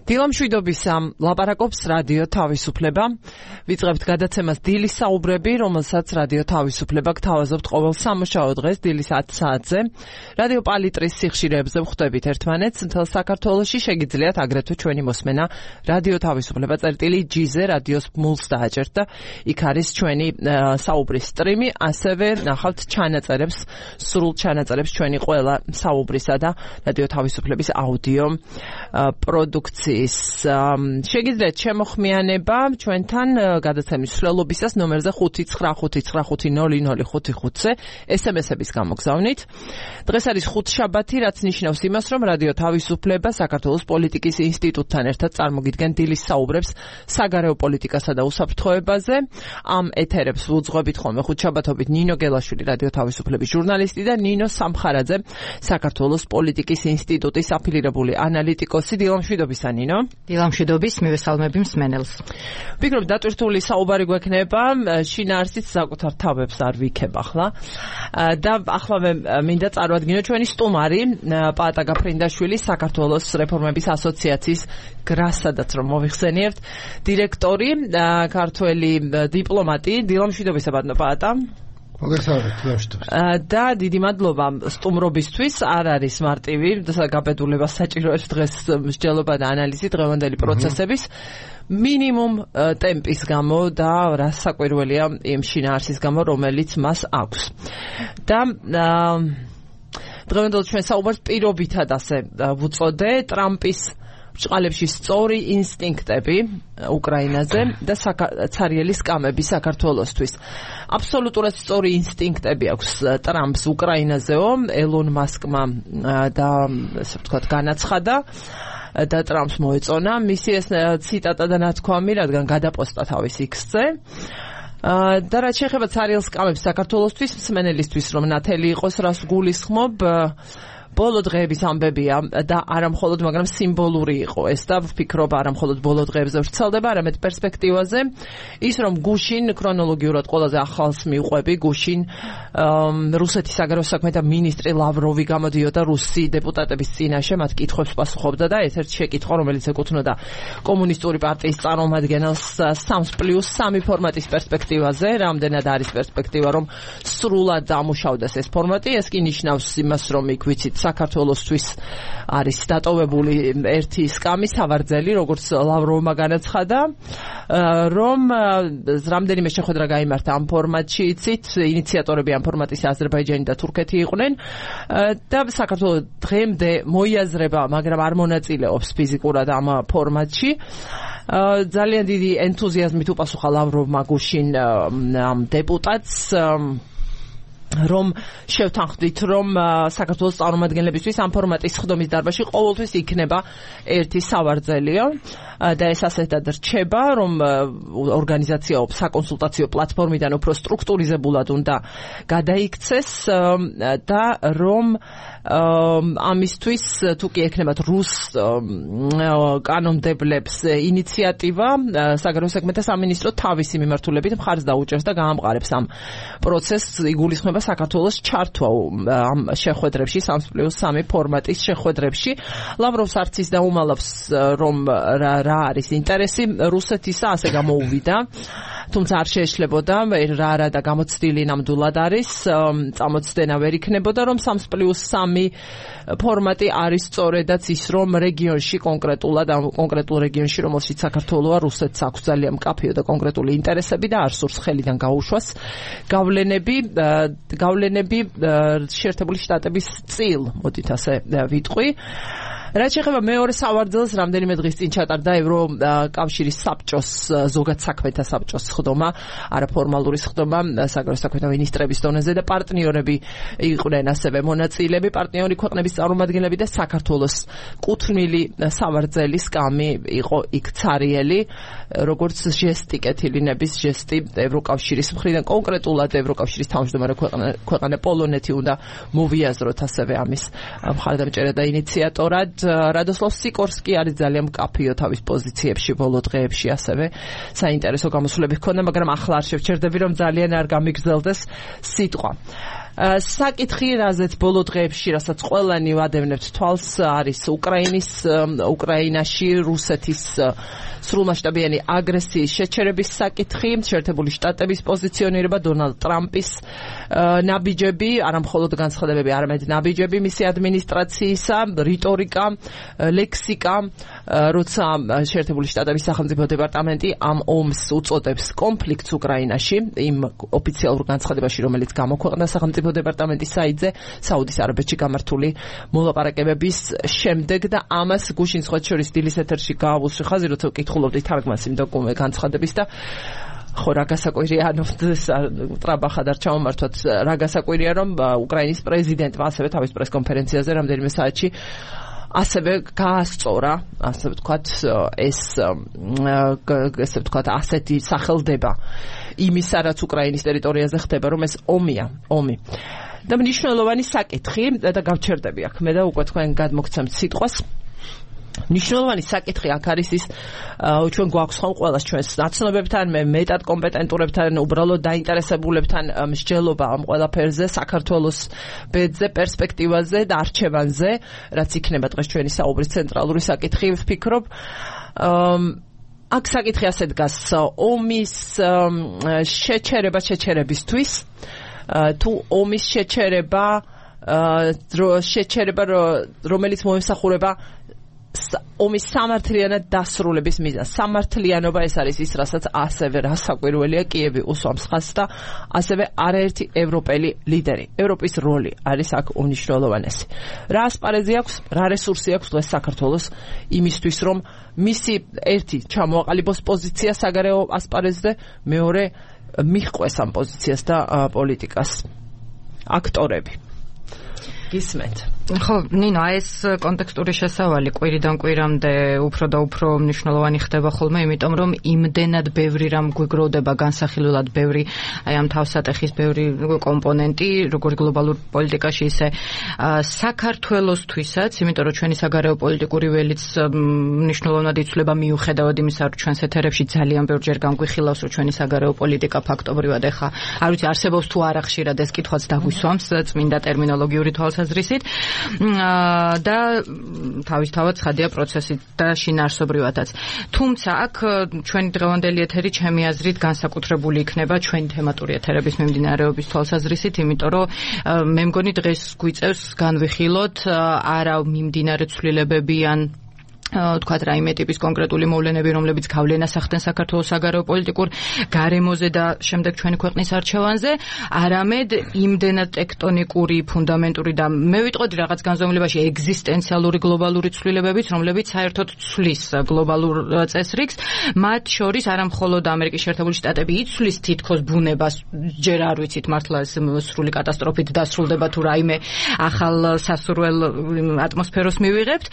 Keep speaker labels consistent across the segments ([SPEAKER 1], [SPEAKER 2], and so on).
[SPEAKER 1] დილამშვიდობის ლაპარაკობს რადიო თავისუფლება. ვიწყებთ გადაცემას დილის საუბრები, რომელსაც რადიო თავისუფლება გთავაზობთ ყოველ სამუშაო დღეს დილის 10 საათზე. რადიო პალიტრის სიხშირეებზე ვხვდებით ერთმანეთს. მთელ საქართველოში შეგიძლიათ აგრეთვე ჩვენი მოსმენა რადიო თავისუფლება წერტილი.gz რადიოს მულს დააჭერთ და იქ არის ჩვენი საუბრის სტრიმი, ასევე ნახავთ ჩანაწერებს, სრულ ჩანაწერებს ჩვენი ყველა საუბრისა და რადიო თავისუფლების აუდიო პროდუქციის. შეგიძლიათ შემოხმიანება ჩვენთან გადაცემის მსვლელობისას ნომერზე 595590555-ზე SMS-ების გამოგზავნით. დღეს არის ხუთშაბათი, რაც ნიშნავს იმას, რომ რადიო თავისუფლება საქართველოს პოლიტიკის ინსტიტუტთან ერთად წარმოგიდგენ დილის საუბრებს საგარეო პოლიტიკასა და უსაფრთხოებაზე. ამ ეთერებს ვუძღვებით ხოლმე ხუთშაბათობით ნინო გელაშვილი, რადიო თავისუფლების ჟურნალისტი და ნინო სამხარაძე, საქართველოს პოლიტიკის ინსტიტუტის აფილირებული ანალიტიკოსი. დილამშვიდობისა ნინო.
[SPEAKER 2] დილამშვიდობის, მივესალმები მსმენელს.
[SPEAKER 1] ვფიქრობ დატვირთული საუბარი გვექნება, შინაარსით საკუთარ თავებს არ ვიქებ ახლა. და ახლა მინდა წარვადგინო ჩვენი სტუმარი, პაატა გაფრინდაშვილი, საქართველოს რეფორმების ასოციაციის გრასადაც რომ მოიხსენიებთ, დირექტორი, ქართველი დიპლომატი. დილამშვიდობისა ბატონო პაატა. და დიდი მადლობა სტუმრობისთვის. არ არის მარტივი გაბედულება საჭიროებს დღეს მსჯელობა და ანალიზი დღევანდელი პროცესების მინიმუმ ტემპის გამო და რასაკვირველია იმ შინაარსის გამო, რომელიც მას აქვს. და დღევანდელ ჩვენ საუბარს პირობითად ასე ვუწოდე ტრამპის ბრჭყალებში სწორი ინსტინქტები უკრაინაზე და ცარიელი სკამები საქართველოსთვის. აბსოლუტურად სწორი ინსტინქტები აქვს ტრამპს უკრაინაზეო, ელონ მასკმა და ასე ვთქვათ განაცხადა და ტრამპს მოეწონა მისი ეს ციტატა და ნათქვამი, რადგან გადაპოსტა თავის X-ზე. და რაც შეეხება ცარიელ სკამებს საქართველოსთვის, მსმენელისთვის რომ ნათელი იყოს, რას გულისხმობ, ბოლო დღეების ამბებია და არა მხოლოდ, მაგრამ სიმბოლური იყო ეს და ვფიქრობ არა მხოლოდ ბოლო დღეებზე ვრცელდება, არამედ პერსპექტივაზე. ის რომ გუშინ ქრონოლოგიურად ყველაზე ახალს მივყვები, გუშინ რუსეთის საგარეო საქმეთა მინისტრი ლავროვი გამოდიოდა რუსი დეპუტატების წინაშე, მათ კითხვებს პასუხობდა და ერთ-ერთი შეკითხვა, რომელიც ეკუთვნოდა კომუნისტური პარტიის წარმომადგენელს 3+3 ფორმატის პერსპექტივაზე, რამდენად არის პერსპექტივა, რომ სრულად დამუშავდეს ეს ფორმატი. ეს კი ნიშნავს იმას, რომ იქ ვიცით საქართველოსთვის არის დატოვებული ერთი სკამი სავარძელი, როგორც ლავროვმა განაცხადა, რომ რამდენიმე შეხვედრა გაიმართა ამ ფორმატში, იცით, ინიციატორები ამ ფორმატის აზერბაიჯანი და თურქეთი იყვნენ და საქართველოს დღემდე მოიაზრება, მაგრამ არ მონაწილეობს ფიზიკურად ამ ფორმატში. ძალიან დიდი ენთუზიაზმით უპასუხა ლავროვმა გუშინ ამ დეპუტატს, რომ შევთანხმდით, რომ საქართველოს წარმომადგენლებისთვის ამ ფორმატის ხდომის დარბაზში ყოველთვის იქნება ერთი სავარძელიო და ეს ასეთად რჩება, რომ ორგანიზაცია საკონსულტაციო პლატფორმიდან უფრო სტრუქტურიზებულად უნდა გადაიქცეს და რომ ამისთვის თუ კი ექნებათ რუს კანონმდებლებს ინიციატივა, საგარეო საქმეთა სამინისტრო თავისი მიმართულებით მხარს დაუჭერს და გაამყარებს ამ პროცესს. იგულისხმება საქართველოს ჩართვა ამ შეხვედრებში, 3+3 ფორმატის შეხვედრებში. ლავროვს არც ის დაუმალავს, რომ რა არის ინტერესი რუსეთისა, ასე გამოუვიდა, თუმცა არ შეეშლებოდა რა და გამოცდილი ნამდვილად არის, წამოწდენა ვერ იქნებოდა, რომ 3+3 ფორმატი არის სწორედაც ის, რომ რეგიონში კონკრეტულად, კონკრეტულ რეგიონში, რომელშიც საქართველოა, რუსეთს აქვს ძალიან მკაფიო და კონკრეტული ინტერესები და არ სურს ხელიდან გაუშვას გავლენები შეერთებული შტატების წილ, მოდით ასე ვიტყვი. რაც შეეხება მეორე სავარძელს, რამდენიმე დღის წინ ჩატარდა ევროკავშირის საბჭოს, ზოგად საქმეთა საბჭოს ხდომა, არაფორმალური ხდომა საგარეო საქმეთა მინისტრების დონეზე და პარტნიორები იყვნენ ასევე მონაწილეები, პარტნიორი ქვეყნების წარმომადგენლები და საქართველოს კუთვნილი სავარძელი სკამი იყო იქ ცარიელი, როგორც ჟესტი, კეთილინების ჟესტი ევროკავშირის მხრიდან, კონკრეტულად ევროკავშირის თავმჯდომარე ქვეყანა პოლონეთი უნდა მოვიაზროთ ასევე ამის მხარდამჭერად და ინიციატორად. რადოსლავ სიკორსკი არის ძალიან მკაფიო თავის პოზიციებში ბოლო დღეებში, ასევე საინტერესო გამოსვლები ჰქონდა, მაგრამ ახლა არ შევჩერდები, რომ ძალიან არ გამიგრძელდეს სიტყვა. საკითხი, რაზეც ბოლო დღეებში, რასაც ყველანი ვადევნებთ თვალს, არის უკრაინაში რუსეთის სრულმასშტაბიანი აგრესიის შეჩერების საკითხი, შეერთებული შტატების პოზიციონირება, დონალდ ტრამპის ნაბიჯები, არა მხოლოდ განცხადებები, არამედ ნაბიჯები მისი ადმინისტრაციისა, რიტორიკა, ლექსიკა, როცა შეერთებული შტატების სახელმწიფო დეპარტამენტი ამ ომს უწოდებს კონფლიქტს უკრაინაში, იმ ოფიციალურ განცხადებაში, რომელიც გამოქვეყნდა სახელმწიფო დეპარტამენტის საიტზე, საუდის არაბეთში გამართული მოლაპარაკებების შემდეგ და ამას გუშინ სხვათა შორის დილის ეთერში გაავუსში ხაზი, როცა ვკითხულობდი თარგმანს იმ განცხადების და ხო რა გასაკვირია, ანუ ტრაბახად არ ჩამომართვათ, რა გასაკვირია, რომ უკრაინის პრეზიდენტმა ასევე თავის პრესკონფერენციაზე რამდენიმე საათში ასევე გაასწორა, ასე ვთქვათ, ესე ვთქვათ, ასეთი სახელდება იმისა, რაც უკრაინის ტერიტორიაზე ხდება, რომ ეს ომი. და მნიშვნელოვანი საკითხი და გავჩერდები აქ მე და უკვე თქვენ გადმოგცემთ სიტყვას. მნიშვნელოვანი საკითხი აქ არის ის, ჩვენ გვაქვს ხომ ყველას ჩვენს ნაცნობებთან, მეტად კომპეტენტურებთან, უბრალოდ დაინტერესებულებთან მსჯელობა ამ ყველაფერზე, საქართველოს ბედზე, პერსპექტივაზე და არჩევანზე, რაც იქნება დღეს ჩვენი საუბრის ცენტრალური საკითხი, ვფიქრობ. აქ საკითხი ასე დგას, ომის შეჩერებისთვის, თუ ომის შეჩერება, რომელიც მოემსახურება ომის სამართლიანად დასრულების მიზანს. სამართლიანობა ეს არის ის, რასაც ასევე რასაკვირველია კიევი უსვამს ხაზს და ასევე არაერთი ევროპელი ლიდერი. ევროპის როლი არის აქ უმნიშვნელოვანესი. რა ასპარეზი აქვს, რა რესურსი აქვს დღეს საქართველოს იმისთვის, რომ მისი ერთი ჩამოაყალიბოს პოზიცია საგარეო ასპარეზზე, მეორე მიჰყვეს ამ პოზიციას და პოლიტიკას აქტორები. გისმენთ.
[SPEAKER 2] ხო, ნინო, ეს კონტექსტური შესავალი კვირიდან კვირამდე უფრო და უფრო მნიშვნელოვანი ხდება ხოლმე, იმიტომ რომ იმდენად ბევრი რამ გვიგროვდება განსახილველად ბევრი აი ამ თავსატეხის ბევრი კომპონენტი, როგორც გლობალურ პოლიტიკაში, ისე საქართველოსთვისაც, იმიტომ რომ ჩვენი საგარეო პოლიტიკური ველიც მნიშვნელოვნად იცვლება მიუხედავად იმისა, რომ ჩვენს ეთერებში ძალიან ბევრჯერ განგვიხილავს, რომ ჩვენი საგარეო პოლიტიკა ფაქტობრივად ეხა არ ვიცი არსებობს თუ არა ხშირად ეს კითხვაც დაგვისვამს წმინდა ტერმინოლოგიური თვალსაზრისით. და თავისთავად ცხადია პროცესით და შინაარსობრივადაც. თუმცა აქ ჩვენი დღევანდელი ეთერი ჩემი აზრით განსაკუთრებული იქნება ჩვენი თემატური ეთერების მიმდინარეობის თვალსაზრისით, იმიტომ რომ მე მგონი დღეს გვიწევს განვიხილოთ არა მიმდინარე ცვლილებები ან თქვათ რაიმე ტიპის კონკრეტული მოვლენები, რომლებიც გავლენას ახდენ საქართველოს საგარეო პოლიტიკურ გარემოზე და შემდეგ ჩვენი ქვეყნის არჩევანზე, არამედ იმდენად ტექტონიკური, ფუნდამენტური და მე ვიტყოდი რაღაც განზომილებაში ეგზისტენციალური გლობალური ცვლილებებიც, რომლებიც საერთოდ ცვლის გლობალურ წესრიგს, მათ შორის არა მხოლოდ ამერიკის შეერთებული შტატები იცვლის თითქოს ბუნებას, ჯერ არ ვიცით მართლა ეს სრული კატასტროფით დასრულდება თუ რაიმე ახალ სასურველ ატმოსფეროს მივიღებთ,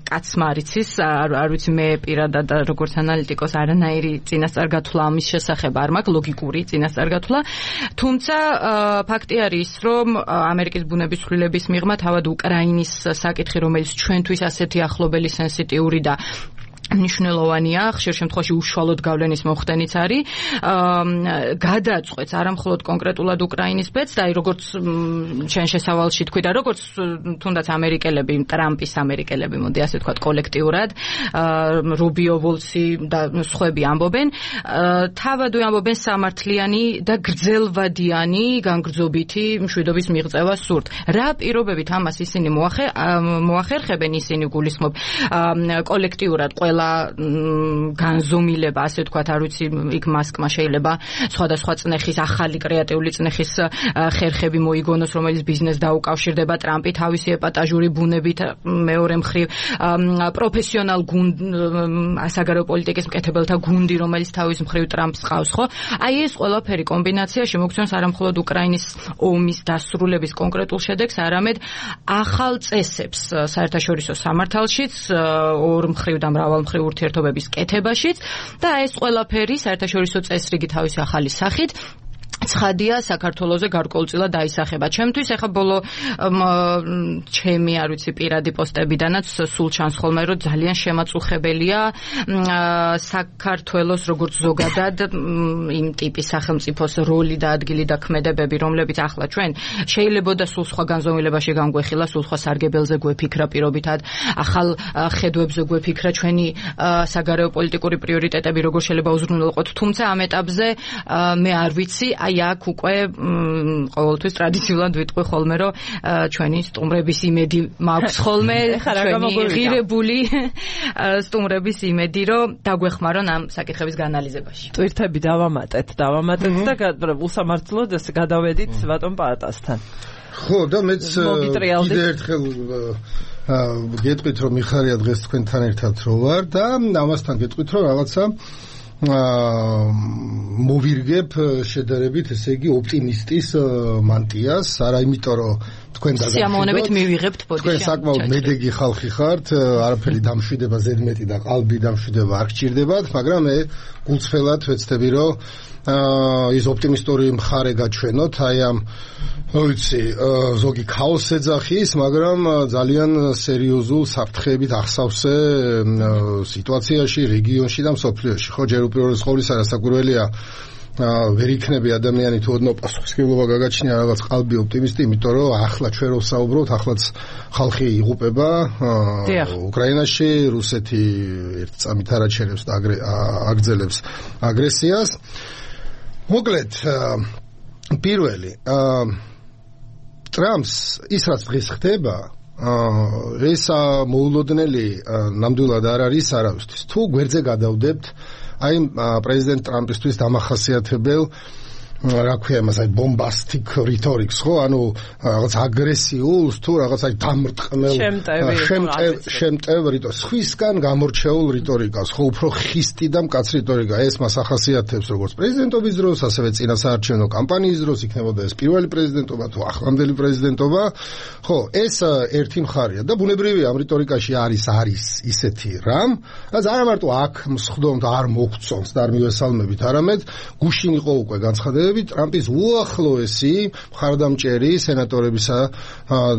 [SPEAKER 2] კაცმა არის არ ვიცი მე პირადად როგორც ანალიტიკოს არანაირი წინასწარ-გათვლა ამის შესახებ არ მაქვს, ლოგიკური წინასწარ-გათვლა. თუმცა ფაქტი არის, რომ ამერიკის ბუნების ცვლილების მიღმა თავად უკრაინის საკითხი, რომელიც ჩვენთვის ასეთი ახლობელი, სენსიტიური და მნიშვნელოვანია, ხშირ შემთხვევაში უშუალოდ გავლენის მოხდენიც არის, გადაწყვეტს არა მხოლოდ კონკრეტულად უკრაინის ბედს და როგორც ჩვენ შესავალში თქვი და როგორც თუნდაც ამერიკელები, ტრამპის ამერიკელები, მოდი ასე ვთქვათ კოლექტიურად, რუბიო, ვოლცი და სხვები ამბობენ, თავადვე ამბობენ სამართლიანი და გრძელვადიანი განგრძობითი მშვიდობის მიღწევა სურთ. რა პირობებით ამას ისინი მოახერხებენ, ისინი გულისხმობ კოლექტიურად ყველა განზომილება, ასე ვთქვათ, არ ვიცი, იქ მასკმა შეიძლება სხვადასხვა წნეხის, ახალი კრეატიული წნეხის ხერხები მოიგონოს, რომელიც ბიზნესს დაუკავშირდება, ტრამპი თავისი ეპატაჟური ბუნებით, მეორე მხრივ პროფესიონალ საგარეო პოლიტიკის მკეთებელთა გუნდი, რომელიც თავის მხრივ ტრამპს ყავს, ხო? აი ეს ყველაფერი კომბინაცია შემოგცემს არა მხოლოდ უკრაინის ომის დასრულების კონკრეტულ შედეგს, არამედ ახალ წესებს საერთაშორისო სამართალშიც, ორ მხრივ და მრავალ მხრივ ურთიერთობების კეთებაშიც და ეს ყველაფერი საერთაშორისო წესრიგი თავისი ახალი სახით ცხადია საქართველოზე გარკვეულწილად დაისახება. ჩემთვის ეხა ბოლო ჩემი არ ვიცი პირადი პოსტებიდანაც სულ ჩანს ხოლმე რომ ძალიან შემაწუხებელია საქართველოს როგორც ზოგადად იმ ტიპის სახელმწიფოს როლი და ადგილი და ქმედებები, რომლებიც ახლა ჩვენ შეიძლება და სულ სხვა განზომილებაში განგვეხილა, სულ სხვა სარგებელზე გვეფიქრა პირობითად, ახალ ხედვებზე გვეფიქრა ჩვენი საგარეო პოლიტიკური პრიორიტეტები როგორ შეიძლება უზრუნველყოთ, თუმცა ამ ეტაპზე მე არ ვიცი, აი აქ უკვე ყოველთვის ტრადიციულად ვიტყვი ხოლმე რომ ჩვენი სტუმრების იმედი მაქვს ხოლმე, ჩვენი ღირებული სტუმრების იმედი რომ დაგვეხმარონ ამ საკითხების განალიზებაში.
[SPEAKER 1] ტვირთები დავამატეთ და უსამართლოდ ეს გადავედით ბატონ პაატასთან.
[SPEAKER 3] ხო და მეც კიდე ერთხელ გეტყვით რომ მიხარია დღეს თქვენთან ერთად რო ვარ და ამასთან გეტყვით რომ რაღაცა მოვირგებ შედარებით, ესე იგი ოპტიმისტის მანტიას, არა იმიტომ რომ თქვენ
[SPEAKER 2] სიამოვნებით მივიღებთ პოდკასტში.
[SPEAKER 3] თქვენ საკმაოდ მედეგი ხალხი ხართ, არაფერი დამშვიდება ზედმეტი და qalbi დამშვიდება არ გჭირდებათ, მაგრამ მე გულწრფელად ვეცდები რომ ის ოპტიმისტური მხარე გაჩვენოთ, აი ამ ვიცი, ზოგი ქაოსს ეძახის, მაგრამ ძალიან სერიოზულ საფრთხეებით ახსავსე სიტუაციაში, რეგიონში და მსოფლიოში. ხო, ჯერ უპირველეს ყოვლისა რასაკვირველია ვერ იქნები ადამიანი თუ ოდნავ პასუხისმგებლობა გაგაჩნია რაღაც qalbi ოპტიმისტი, იმიტომ რომ ახლა ჩვენ რო საუბრობთ, ახლაც ხალხი იღუპება უკრაინაში, რუსეთი ერთ წამით არაჩერებს და აგრძელებს აგრესიას. მოკლედ, პირველი ტრამპს ის რაც დღეს ხდება, ეს მოულოდნელი ნამდვილად არ არის არავისთვის. თუ გვერდზე გადავდებთ აი პრეზიდენტ ტრამპისთვის დამახასიათებელ რა ქვია იმას, აი ბომბასტიკ რიტორიკს, ხო, ანუ რაღაც აგრესიულს თუ რაღაც აი დამრტყმელ შემტევ რიტორიკას, სხვისგან გამორჩეულ რიტორიკას, ხო, უფრო ხისტი და მკაც რიტორიკა, ეს მას ახასიათებს როგორც პრეზიდენტობის დროს, ასევე წინა საარჩევნო კამპანიის დროს, იქნებოდა ეს პირველი პრეზიდენტობა თუ ახლანდელი პრეზიდენტობა, ხო, ეს ერთი მხარეა და ბუნებრივია ამ რიტორიკაში არის ისეთი რამ, რაც არა მარტო აქ მსხდომთ არ მოგწონს და არ მივესალმებით, არამედ გუშინ იყო უკვე განცხადებები ტრამპის უახლოესი მხარდამჭერი სენატორებისა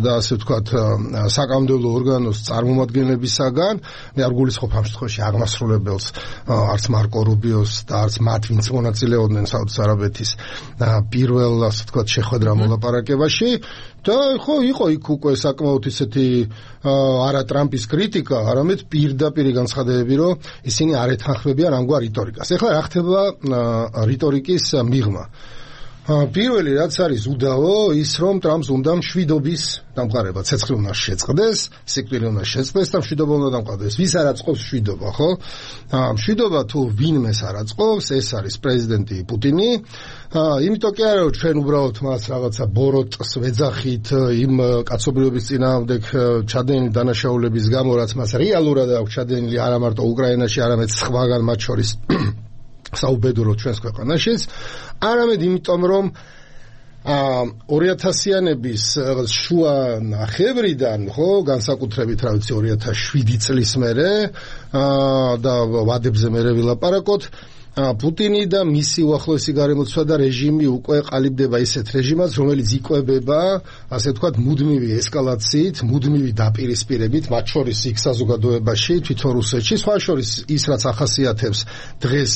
[SPEAKER 3] და ასე ვთქვათ საკანონმდებლო ორგანოს წარმომადგენლებისაგან, მე არ გულისხმობ ამ შემთხვევაში აღმასრულებელს, არც მარკო რუბიოს და არც მათ, ვინც მონაწილეობდნენ საუდის არაბეთის პირველ ასე ვთქვათ შეხვედრა მოლაპარაკებაში და ხო იყო იქ უკვე საკმაოდ ისეთი არა ტრამპის კრიტიკა, არამედ პირდაპირი განცხადებები, რომ ისინი არ ეთანხმებიან ამგვარ რიტორიკას. ეხლა რა ხდება რიტორიკის მიღმა? პირველი რაც არის უდავო, ის რომ ტრამპს უნდა მშვიდობის დამყარება, ცეცხლი უნდა შეწყდეს, სიკვდილი უნდა შეწყდეს და მშვიდობა უნდა დამყარდეს. ვის არ აწყობს მშვიდობა, ხო? მშვიდობა თუ ვინმეს არ აწყობს, ეს არის პრეზიდენტი პუტინი. იმიტომ კი არა რომ ჩვენ უბრალოდ მას რაღაცა ბოროტს ვეძახით იმ კაცობრიობის წინააღმდეგ ჩადენილი დანაშაულების გამო, რაც მას რეალურად აქვს ჩადენილი არა მარტო უკრაინაში, არამედ სხვაგან, მათ შორის საუბედუროთ ჩვენს ქვეყანაშიც, არამედ იმიტომ რომ 2000-იანების შუა ნახევრიდან, ხო, განსაკუთრებით რა ვიცი 2007 წლის მერე და ვადებზე მერე ვილაპარაკოთ, პუტინი და მისი უახლოესი გარემოცვადა რეჟიმი უკვე ყალიბდება ისეთ რეჟიმას, რომელიც იკვებება, ასე ვთქვათ, მუდმივი ესკალაციით, მუდმივი დაპირისპირებით, მათ შორის იქ საზოგადოებაში, თვითონ რუსეთში, სხვა შორის ის რაც ახასიათებს დღეს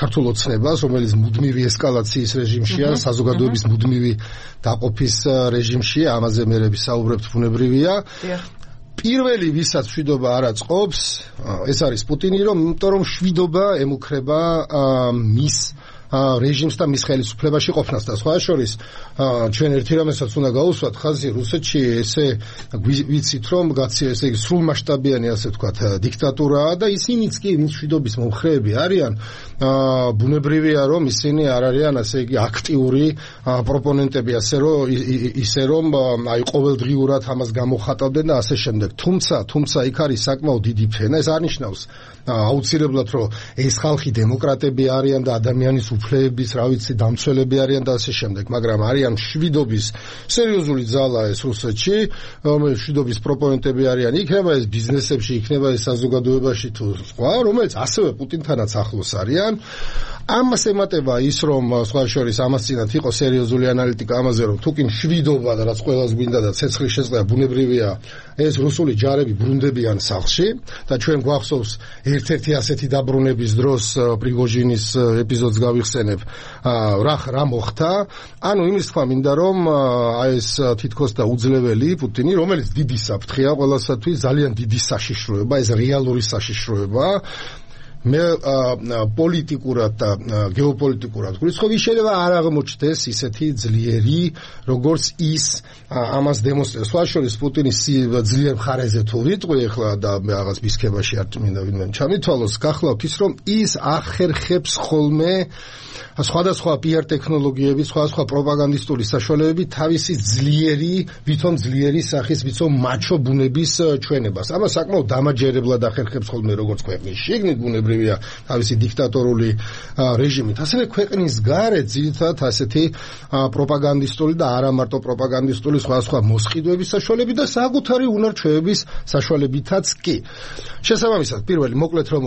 [SPEAKER 3] ქართულ ოცნებას, რომელიც მუდმივი ესკალაციის რეჟიმშია, საზოგადოების მუდმივი დაყოფის რეჟიმშია, ამაზე მე ვისაუბრებთ, ბუნებრივია. პირველი ვისაც მშვიდობა არ აწყობს, ეს არის პუტინი, იმიტომ რომ მშვიდობა ემუქრება მის რეჟიმს და მის ხელისუფლებაში ყოფნას და სხვა შორის ჩვენ ერთი რამესაც უნდა გაუსვათ ხაზი რუსეთში ესე ვიცით რომ ესე იგი სრულმასშტაბიანი ასე ვთქვათ დიქტატურაა და ისინიც კი მშვიდობის მომხრეები არიან ბუნებრივია რომ ისინი არ არიან ასე იგი აქტიური პროპონენტები ისე რომ აი ყოველდღიურად ამას გამოხატავდნენ და ასე შემდეგ თუმცა იქ არის საკმაოდ დიდი ფენა ეს არნიშნავს აუცილებლად რომ ეს ხალხი დემოკრატები არიან და ადამიანის უფლებების რა ვიცი დამცველები არიან და ასე შემდეგ მაგრამ არიან მშვიდობის სერიოზული ძალა ეს რუსეთში რომელიც მშვიდობის პროპონენტები არიან იქნება ეს ბიზნესებში იქნება ეს საზოგადოებაში თუ სხვა რომელიც ასევე პუტინთანაც ახლოს არიან ამას ემატება ის, რომ სხვა შორის ამას წინათ იყო სერიოზული ანალიტიკა ამაზე, რომ თუკი მშვიდობა და რაც ყველას გვინდა და ცეცხლის შეწყდა ბუნებრივია, ეს რუსული ჯარები ბრუნდებიან სახლში და ჩვენ გვახსოვს ერთ-ერთი ასეთი დაბრუნების დროს პრიგოჟინის ეპიზოდს გავიხსენებ, რა მოხდა. ანუ იმის თქვა მინდა, რომ ეს თითქოს და უძლეველი პუტინი, რომელიც დიდი საფრთხეა ყველასათვის, ძალიან დიდი საშიშროება, ეს რეალური საშიშროება. მე პოლიტიკურად და გეოპოლიტიკურად გვიცხობ, შეიძლება არ აღმოჩნდეს ისეთი ძლიერი, როგორც ის ამას დემონსტრირებს. სხვა შორის პუტინის ძლიერ მხარეზე თუ ვიტყვი ახლა და მე რაღაც ბისქებაში არ მინდა ვინმე ჩამითვალოს, გახლავთ ის, რომ ის ახერხებს ხოლმე სხვადასხვა PR ტექნოლოგიები, სხვადასხვა პროპაგანდისტული საშუალებები თავისი ვითომ ძლიერი სახის, ვითომ მაჩო ბუნების ჩვენებას. ამას საკმაოდ დამაჯერებლად ახერხებს ხოლმე როგორც ქვეყნის შიგნით ბუნებრივია თავისი დიქტატორული რეჟიმით, ასევე ქვეყნის გარეთ ძირითადად ასეთი პროპაგანდისტული და არა მარტო პროპაგანდისტული სხვადასხვა მოსყიდვების საშუალებით და საკუთარი უნარ-ჩვევების საშუალებითაც კი. შესაბამისად, პირველი მოკლედ რომ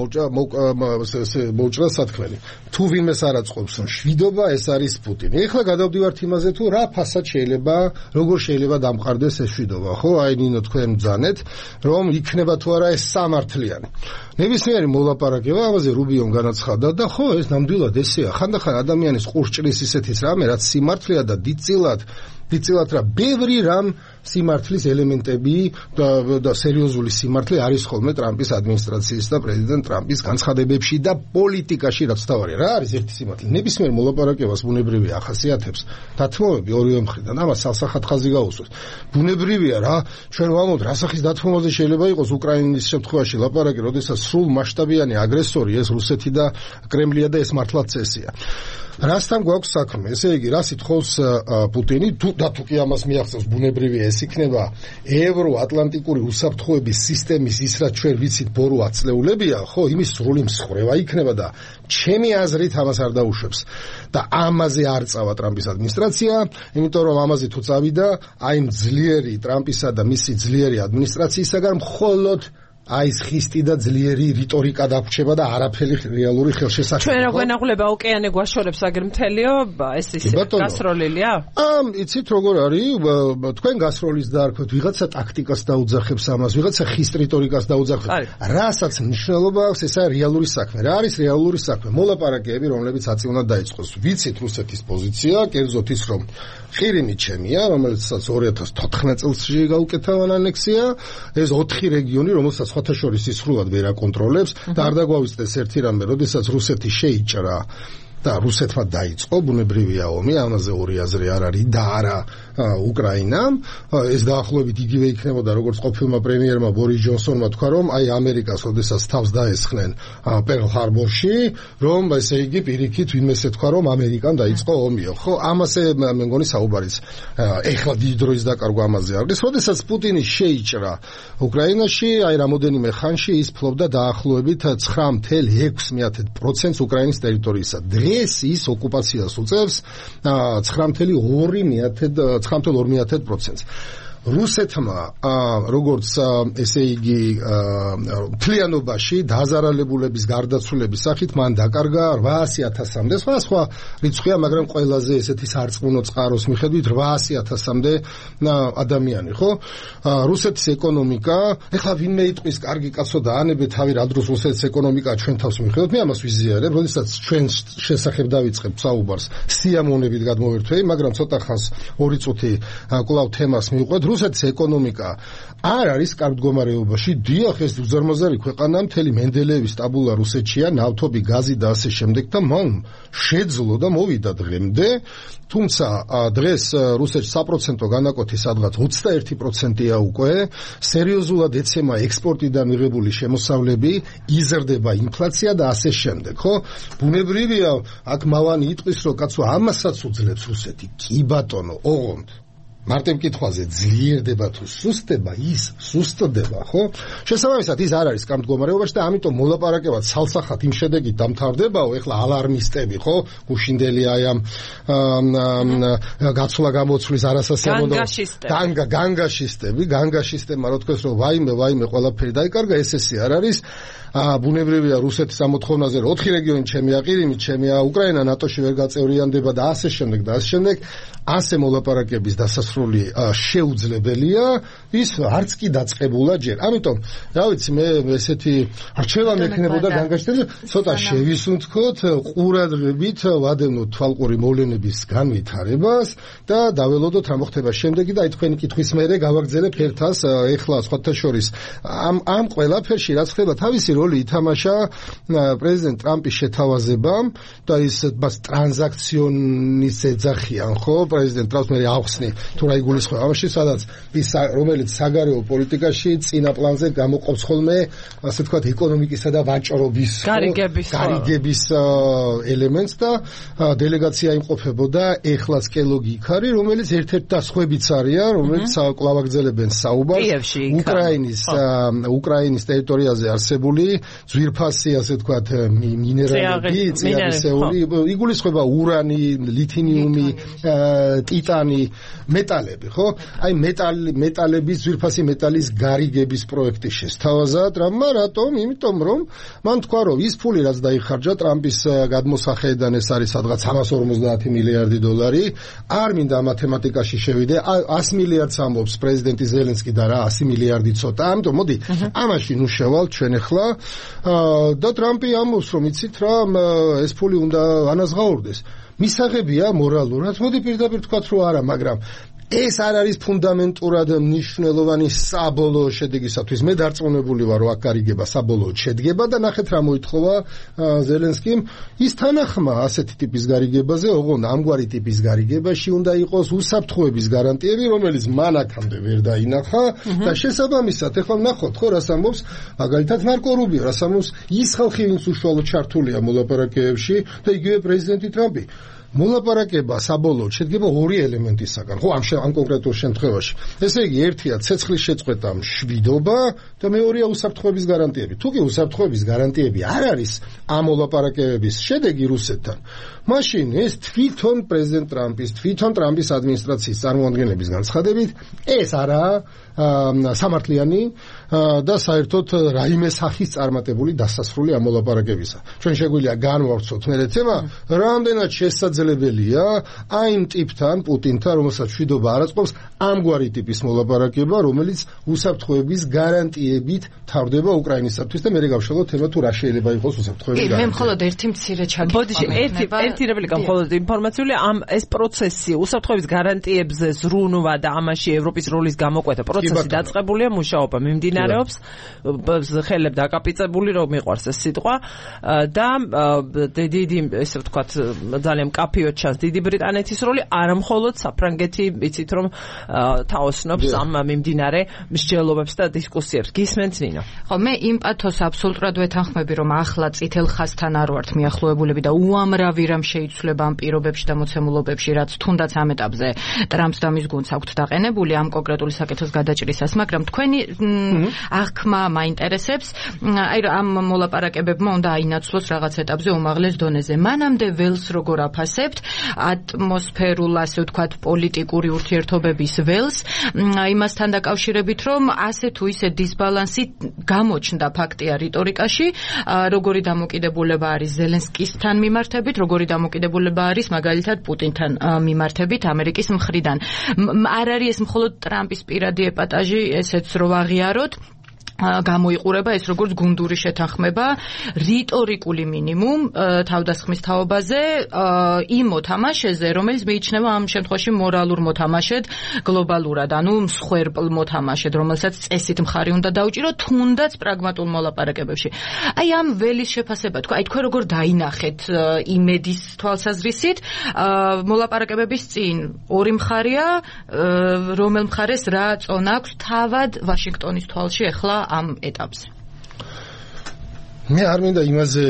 [SPEAKER 3] მოვჭრა სათქმელი. თუ ვინმეს არ აწყობს მშვიდობა, ეს არის პუტინი. ეხლა გადავდივართ იმაზე, თუ რა ფასად შეიძლება, როგორ შეიძლება დამყარდეს ეს მშვიდობა, ხო? აი ნინო თქვენ ბძანეთ, რომ იქნება თუ არა ეს სამართლიანი. ნებისმიერი მოლაპარაკება ამაზე რუბიომ განაცხადა და ხო, ეს ნამდვილად ესეა. ხანდახან ადამიანის ყურს ჭრის ისეთის რამე, რაც სიმართლეა და დიდწილად რა ბევრი რამ სიმართლის ელემენტები და სერიოზული სიმართლე არის ხოლმე ტრამპის ადმინისტრაციის და პრეზიდენტ ტრამპის განცხადებებში და პოლიტიკაში, რაც თავარია. რა არის ერთი სიმართლე? ნებისმიერ მოლაპარაკებას ბუნებრივია ახასიათებს დათმობები ორივე მხრიდან. ამას სალსახად ხაზი გაუსვეს. ბუნებრივია რა, ჩვენ ვამბობთ, რა სახის დათმობაზე შეიძლება იყოს უკრაინის შემთხვევაში ლაპარაკი, როდესაც სრულ მასშტაბიანი აგრესორი ეს რუსეთი და კრემლია და ეს მართლაც წესია. რასთან გვაქვს საქმე? ესე იგი, რას ითხოვს პუტინი? თუ კი ამას მიახსოვს, ბუნებრივია ეს იქნება ევროატლანტიკური უსაფრთხოების სისტემის ის, რაც ჩვენ ვიცით ბორო აწლეულებია, ხო, იმის სრული მსხვერპლი იქნება და ჩემი აზრით ამას არ დაუშვებს. და ამაზე არ წავა ტრამპის ადმინისტრაცია, იმიტომ რომ ამაზე თუ წავიდა, აი ძლიერი ტრამპისა და მისი ძლიერი ადმინისტრაციისაგან მხოლოდ აი ეს ხისტი და ძლიერი რიტორიკა დაგვრჩება და არაფერი რეალური ხელშესაყრელი.
[SPEAKER 1] ჩვენ რა გვენაღვლება ოკეანე გვაშორებს აგერ მთელიო, ეს გასროლილია?
[SPEAKER 3] იცით როგორ არის? თქვენ გასროლის დაარქვეთ, ვიღაცა ტაქტიკას დაუძახებს ამას, ვიღაცა ხისტ რიტორიკას დაუძახებს. რასაც მნიშვნელობა აქვს, ესაა რეალური საქმე. რა არის რეალური საქმე? მოლაპარაკეები, რომლებიც აწი უნდა დაიწყოს. ვიცით რუსეთის პოზიცია, კერძოდ ის, რომ ყირიმი ჩემია, რომელიცაც 2014 წელს გაუკეთა ანექსია, ეს 4 რეგიონი, რომელსაც სხვათა შორის ის სრულად ვერ აკონტროლებს და არ დაგვავიწყდეს ერთი რამე, როდესაც რუსეთი შეიჭრა და რუსეთმა დაიწყო ბუნებრივია ომი, ამაზე ორი აზრი არ არის და არა უკრაინამ. ეს დაახლოებით იგივე იქნებოდა, როგორც ყოფილმა პრემიერმა ბორის ჯონსონმა თქვა, რომ აი ამერიკას როდესაც თავს დაესხნენ პერლ ჰარბორში, რომ ესე იგი პირიქით ვინმესე თქვა, რომ ამერიკამ დაიწყო ომიო. ხო, ამაზე მე მგონი საუბარიც ეხლა დიდი დროის დაკარგვა ამაზე არის. როდესაც პუტინი შეიჭრა უკრაინაში, აი რამოდენიმე ხანში ის ფლობდა დაახლოებით 9.6% უკრაინის ტერიტორიისა. დღეს ის ოკუპაციას უწევს 9.2%. რუსეთმა როგორც ესე იგი მთლიანობაში დაზარალებულების გარდაცვლილების სახით მან დაკარგა 800,000-მდე, სხვა რიცხვია, მაგრამ ყველაზე ესეთი სარწყმუნო წყაროს მიხედვით 800,000-მდე ადამიანი, ხო? რუსეთის ეკონომიკა, ეხლა ვინმე იტყვის, კარგი კაცო და ანებე თავი რა დროს რუსეთის ეკონომიკა ჩვენ თავს მიხედვით, მე ამას ვიზიარებ, როდესაც ჩვენ შესახებ დავიწყებთ საუბარს, სიამოვნებით გადმოვერთვები, მაგრამ ცოტა ხანს 2 წუთი კვლავ თემას მივყვეთ. რუსეთის ეკონომიკა არ არის კარგ მდგომარეობაში. დიახ, ეს უზარმაზარი ქვეყანა, მთელი მენდელეევის ტაბულა რუსეთშია, ნავთობი, გაზი და ასე შემდეგ და მან შეძლო და მოვიდა დღემდე. თუმცა დღეს რუსეთში საპროცენტო განაკვეთი სადღაც 21%-ია უკვე. სერიოზულად ეცემა ექსპორტიდან მიღებული შემოსავლები, იზრდება ინფლაცია და ასე შემდეგ, ხო? ბუნებრივია, აქ მალანი იტყვის, რომ კაცო ამასაც უძლებს რუსეთი. კი ბატონო, ოღონდ მარტივ კითხვაზე ძლიერდება თუ სუსტდება, ის სუსტდება, ხო? შესაბამისად ის არ არის კარგ მდგომარეობაში და ამიტომ მოლაპარაკებად სალსახად იმ შედეგით დამთავრდებაო, ეხლა ალარმისტები, ხო? გუშინდელი აი ამ გაცვლა გამოცვლის არასასიამოვნო განგაშისტები, განგაშისტებმა რო თქვეს, რომ ვაიმე ყველაფერი დაიკარგა, ეს არ არის. ბუნებრივია რუსეთის ამოთხოვნაზე 4 რეგიონი ჩემი აყირიმით, ჩემია უკრაინა ნატოში ვერ გაწევრიანდება და ასე შემდეგ. ასე მოლაპარაკების დასასრული შეუძლებელია, ის არც კი დაწყებულა ჯერ. ამიტომ, რა ვიცი, მე ესეთი არჩევა მექნებოდა განგაშტები, ცოტა შევისუნთქოთ, ყურადღებით ვადევნოთ თვალყური მოვლენების განვითარებას და დაველოდოთ რა მოხდება შემდეგი და აი თქვენი კითხვის მერე გავაგრძელებ ერთას ეხლა სხვათა შორის ამ ყველაფერში რაც ხდება თავისი როლი ითამაშა პრეზიდენტ ტრამპის შეთავაზებამ და ის მას ტრანზაქციონის ეძახიან, ხო? პრეზიდენტ ტრამპს მე ახსნი თუ რა იგულისხმება ამაში, სადაც ის რომელიც საგარეო პოლიტიკაში წინა პლანზე გამოყოფს ხოლმე ასე ვთქვათ ეკონომიკისა და ვაჭრობის გარიგების ელემენტს და დელეგაცია იმყოფებოდა ეხლაც კელოგი იქარი, რომელიც ერთ-ერთი და სხვებიც არიან, რომელიც კლავაგრძელებენ საუბარს უკრაინის ტერიტორიაზე არსებული ძვირფასი ასე ვთქვათ მინერალები, წიაღისეული, იგულისხმება ურანი, ლითინიუმი, ტიტანი, მეტალები, ხო? აი მეტალების, ძვირფასი მეტალის გარიგების პროექტი შესთავაზა ტრამპმა, რატომ? იმიტომ რომ მან თქვა, რომ ის ფული რაც დაიხარჯა ტრამპის გადმოსახედიდან ეს არის სადღაც 350 მილიარდი დოლარი, არ მინდა მათემატიკაში შევიდე, 100 მილიარდს ამბობს პრეზიდენტი ზელენსკი და რა 100 მილიარდი ცოტა. ამიტომ მოდი ამაში ნუ შევალთ ჩვენ ახლა და ტრამპი ამბობს, რომ იცით რა, ეს ფული უნდა ანაზღაურდეს. მისაღებია მორალურად, მოდი პირდაპირ თქვათ რომ არა, მაგრამ ეს არ არის ფუნდამენტურად მნიშვნელოვანი საბოლოო შედეგისათვის. მე დარწმუნებული ვარ, რომ აქ გარიგება საბოლოოდ შედგება და ნახეთ რა მოითხოვა ზელენსკიმ. ის თანახმა ასეთი ტიპის გარიგებაზე, ოღონდ ამგვარი ტიპის გარიგებაში უნდა იყოს უსაფრთხოების გარანტიები, რომელიც მან აქამდე ვერ დაინახა და შესაბამისად, ეხლა ნახოთ, ხო, რას ამბობს მაგალითად მარკო რუბიო, რას ამბობს ის ხალხი, ვინც უშუალოდ ჩართულია მოლაპარაკებებში და იგივე პრეზიდენტი ტრამპი. მოლაპარაკება საბოლოოდ შედგება ორი ელემენტისაგან, ხო, ამ კონკრეტულ შემთხვევაში. ესე იგი, ერთია ცეცხლის შეწყვეტა, მშვიდობა და მეორეა უსაფრთხოების გარანტიები. თუ კი უსაფრთხოების გარანტიები არ არის ამ მოლაპარაკებების შედეგი რუსეთთან, მაშინ ეს თვითონ პრეზიდენტ ტრამპის ადმინისტრაციის წარმომადგენლების განცხადებით, ეს არაა სამართლიანი და საერთოდ რაიმე სახის წარმატებული დასასრული ამ მოლაპარაკებისა. ჩვენ შეგვიძლია განვავრცოთ მე თემა, რამდენად შესაძლებელია აი იმ ტიპთან, პუტინთან, რომელსაც მშვიდობა არ აწყობს, ამგვარი ტიპის მოლაპარაკება, რომელიც უსაფრთხოების გარანტიებით თავდება უკრაინისათვის და მე გავშალოთ თემა თუ რა შეიძლება იყოს უსაფრთხოების გარანტია.
[SPEAKER 2] მე მხოლოდ ერთი მცირე ჩაგიყვანა.
[SPEAKER 1] ერთი რეპლიკა მხოლოდ ინფორმაციული ეს პროცესი უსაფრთხოების გარანტიებზე ზრუნვა და ამაში ევროპის როლის გამოკვეთა პროცესი დაწყებულია, მუშაობა მიმდინარეობს, ხელებ დაკაპიწებული რომ მიყვარს ეს სიტყვა და დიდი ესე ვთქვათ ძალიან მკაფიოდ ჩანს დიდი ბრიტანეთის როლი, არა მხოლოდ საფრანგეთი, ვიცით რომ თაოსნობს ამ მიმდინარე მსჯელობებს და დისკუსიებს. გისმენთ ნინო?
[SPEAKER 2] ხო, მე იმ პათოს აბსოლუტურად ვეთანხმები, რომ ახლა წითელ ხაზთან არ ვართ მიახლოებულები და უამრავი რამ შეიცვლება ამ პირობებში და მოცემულობებში, რაც თუნდაც ამ ეტაპზე ტრამპს და მის გუნდს აქვთ დაყენებული ამ კონკრეტული საკითხის გადაჭრისას, მაგრამ თქვენი აღქმა მაინტერესებს, აი ამ მოლაპარაკებებმა უნდა აინაცვლოს რაღაც ეტაპზე უმაღლეს დონეზე. მანამდე ველს როგორ აფასებთ, ატმოსფერულ, ასე ვთქვათ, პოლიტიკური ურთიერთობების ველს, იმასთან დაკავშირებით, რომ ასე თუ ისე დისბალანსი გამოჩნდა ფაქტია რიტორიკაში, როგორი დამოკიდებულება არის ზელენსკისთან მიმართებით, როგორი დამოკიდებულება არის მაგალითად პუტინთან მიმართებით ამერიკის მხრიდან. არ არის ეს მხოლოდ ტრამპის პირადი ეპატაჟი, ესეც რო აღიაროთ, გამოიყურება ეს როგორც გუნდური შეთანხმება რიტორიკული მინიმუმ თავდასხმის თაობაზე იმ მოთამაშეზე, რომელიც მიიჩნევა ამ შემთხვევაში მორალურ მოთამაშედ გლობალურად, ანუ მსხვერპლ მოთამაშედ, რომელსაც წესით მხარი უნდა დაუჭირო, თუნდაც პრაგმატულ მოლაპარაკებებში. აი ამ ველის შეფასება, აი თქვენ როგორ დაინახეთ იმედის თვალსაზრისით მოლაპარაკებების წინ ორი მხარეა, რომელ მხარეს რა წონა აქვს თავად ვაშინგტონის თვალში ახლა ამ ეტაპზე? მე არ მინდა იმაზე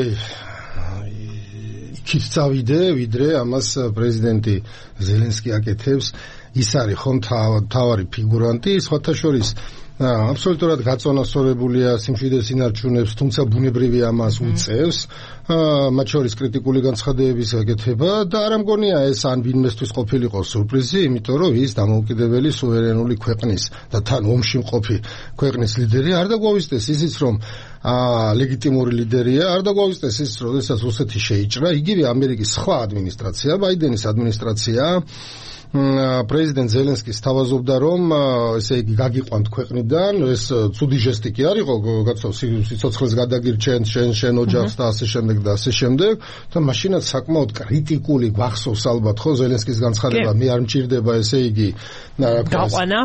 [SPEAKER 2] იქით წავიდე, ვიდრე ამას პრეზიდენტი ზელენსკი აკეთებს. ის არის ხომ თავარი ფიგურანტი, სხვათა შორის აბსოლუტურად გაწონასწორებულია სიმშვიდეს ინარჩუნებს, თუმცა ბუნებრივია ამას უწევს. მათ შორის კრიტიკული განცხადებების გაკეთება და არ ამგონია ეს ან ვინმესთვის ყოფილიყო სურპრიზი, იმიტომ რომ ის დამოუკიდებელი სუვერენული ქვეყნის და თან ომში მყოფი ქვეყნის ლიდერი არ დაგვავიწყდეს ისიც რომ
[SPEAKER 3] ლეგიტიმური ლიდერია. არ დაგვაუწყდეს ის, როდესაც რუსეთი შეიჭრა, იგივე ამერიკის სხვა ადმინისტრაცია, ბაიდენის ადმინისტრაცია პრეზიდენტ ზელენსკის თავაზობდა, რომ ესე იგი გაგიყვანთ ქვეყნიდან, ეს ცუდი ჟესტი კი არ იყო, გაცო სიცოცხლეს გადაგირჩენ შენ ოჯახს და ასე შემდეგ და ასე შემდეგ, და მაშინაც საკმაოდ კრიტიკული გვახსოვს ალბათ ხო ზელენსკის განცხადება, მე არ მჭირდება ესე იგი გაყვანა,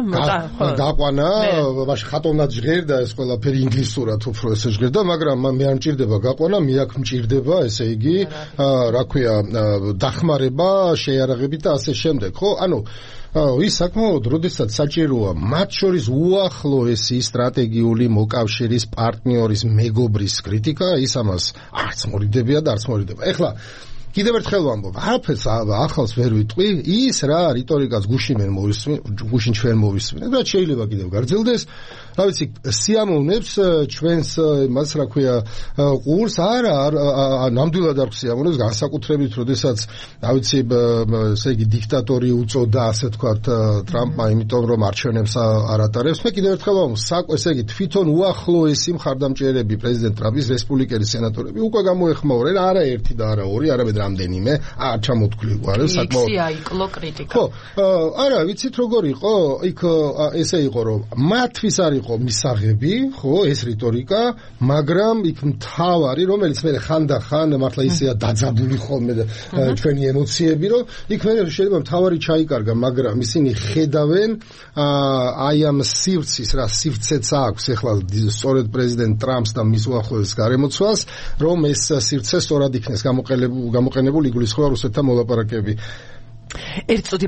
[SPEAKER 3] მაშინ ხატოვნად ჟღერდა ეს ყველაფერი ინგლისურად უფრო ესე ჟღერდა, მაგრამ მე არ მჭირდება გაყვანა, მე აქ მჭირდება ესე იგი რა ქვია დახმარება, შეიარაღებით და ასე შემდეგ, ხო? ანუ ის საკმაოდ როდესაც საჭიროა მათ შორის უახლოესი სტრატეგიული მოკავშირის პარტნიორის მეგობრის კრიტიკა, ის ამას არც მორიდებია და არც მორიდება. ეხლა კიდევ ერთხელ ვამბობ, არაფერს ახალს ვერ ვიტყვი, ის რა რიტორიკას გუშინ ჩვენ მოვისმინეთ და შეიძლება კიდევ გარძელდეს, რა ვიცი, სიამოვნებს ჩვენს მას რა ქვია ყურს, არა ნამდვილად არ სიამოვნებს, განსაკუთრებით როდესაც რა ვიცი, ესე იგი დიქტატორი უწოდა ასე თქვათ ტრამპმა, იმიტომ რომ არჩევნებს არ ატარებს. მე კიდევ ერთხელ ვამბობ, ესე იგი თვითონ უახლოესი მხარდამჭერები პრეზიდენტ ტრამპის რესპუბლიკელი სენატორები უკვე გამოეხმაურნენ, არა ერთი და არა ორი, არამედ რამდენიმე არ ჩამოთვლილი გვარი საკმაოდ
[SPEAKER 2] აიკლო კრიტიკა.
[SPEAKER 3] ხო, არა, ვიცით როგორ იყო, იქ ესე იყო რომ მათთვის არ იყო მისაღები, ხო, ეს რიტორიკა, მაგრამ იქ მთავარი, რომელიც მე ხანდახან მართლა ისეა დაძაბული ხოლმე ჩვენი ემოციები, რომ იქ მე შეიძლება მთავარი ჩაიკარგა, მაგრამ ისინი ხედავენ აი ამ სივრცის, რა სივრცეც აქვს ახლა სწორედ პრეზიდენტ ტრამპს და მის უახლოეს გარემოცვალს, რომ ეს სივრცე სწორად იქნეს გამოყენებული იგულისხმება რუსეთთან მოლაპარაკებები.
[SPEAKER 1] ერთ წუთი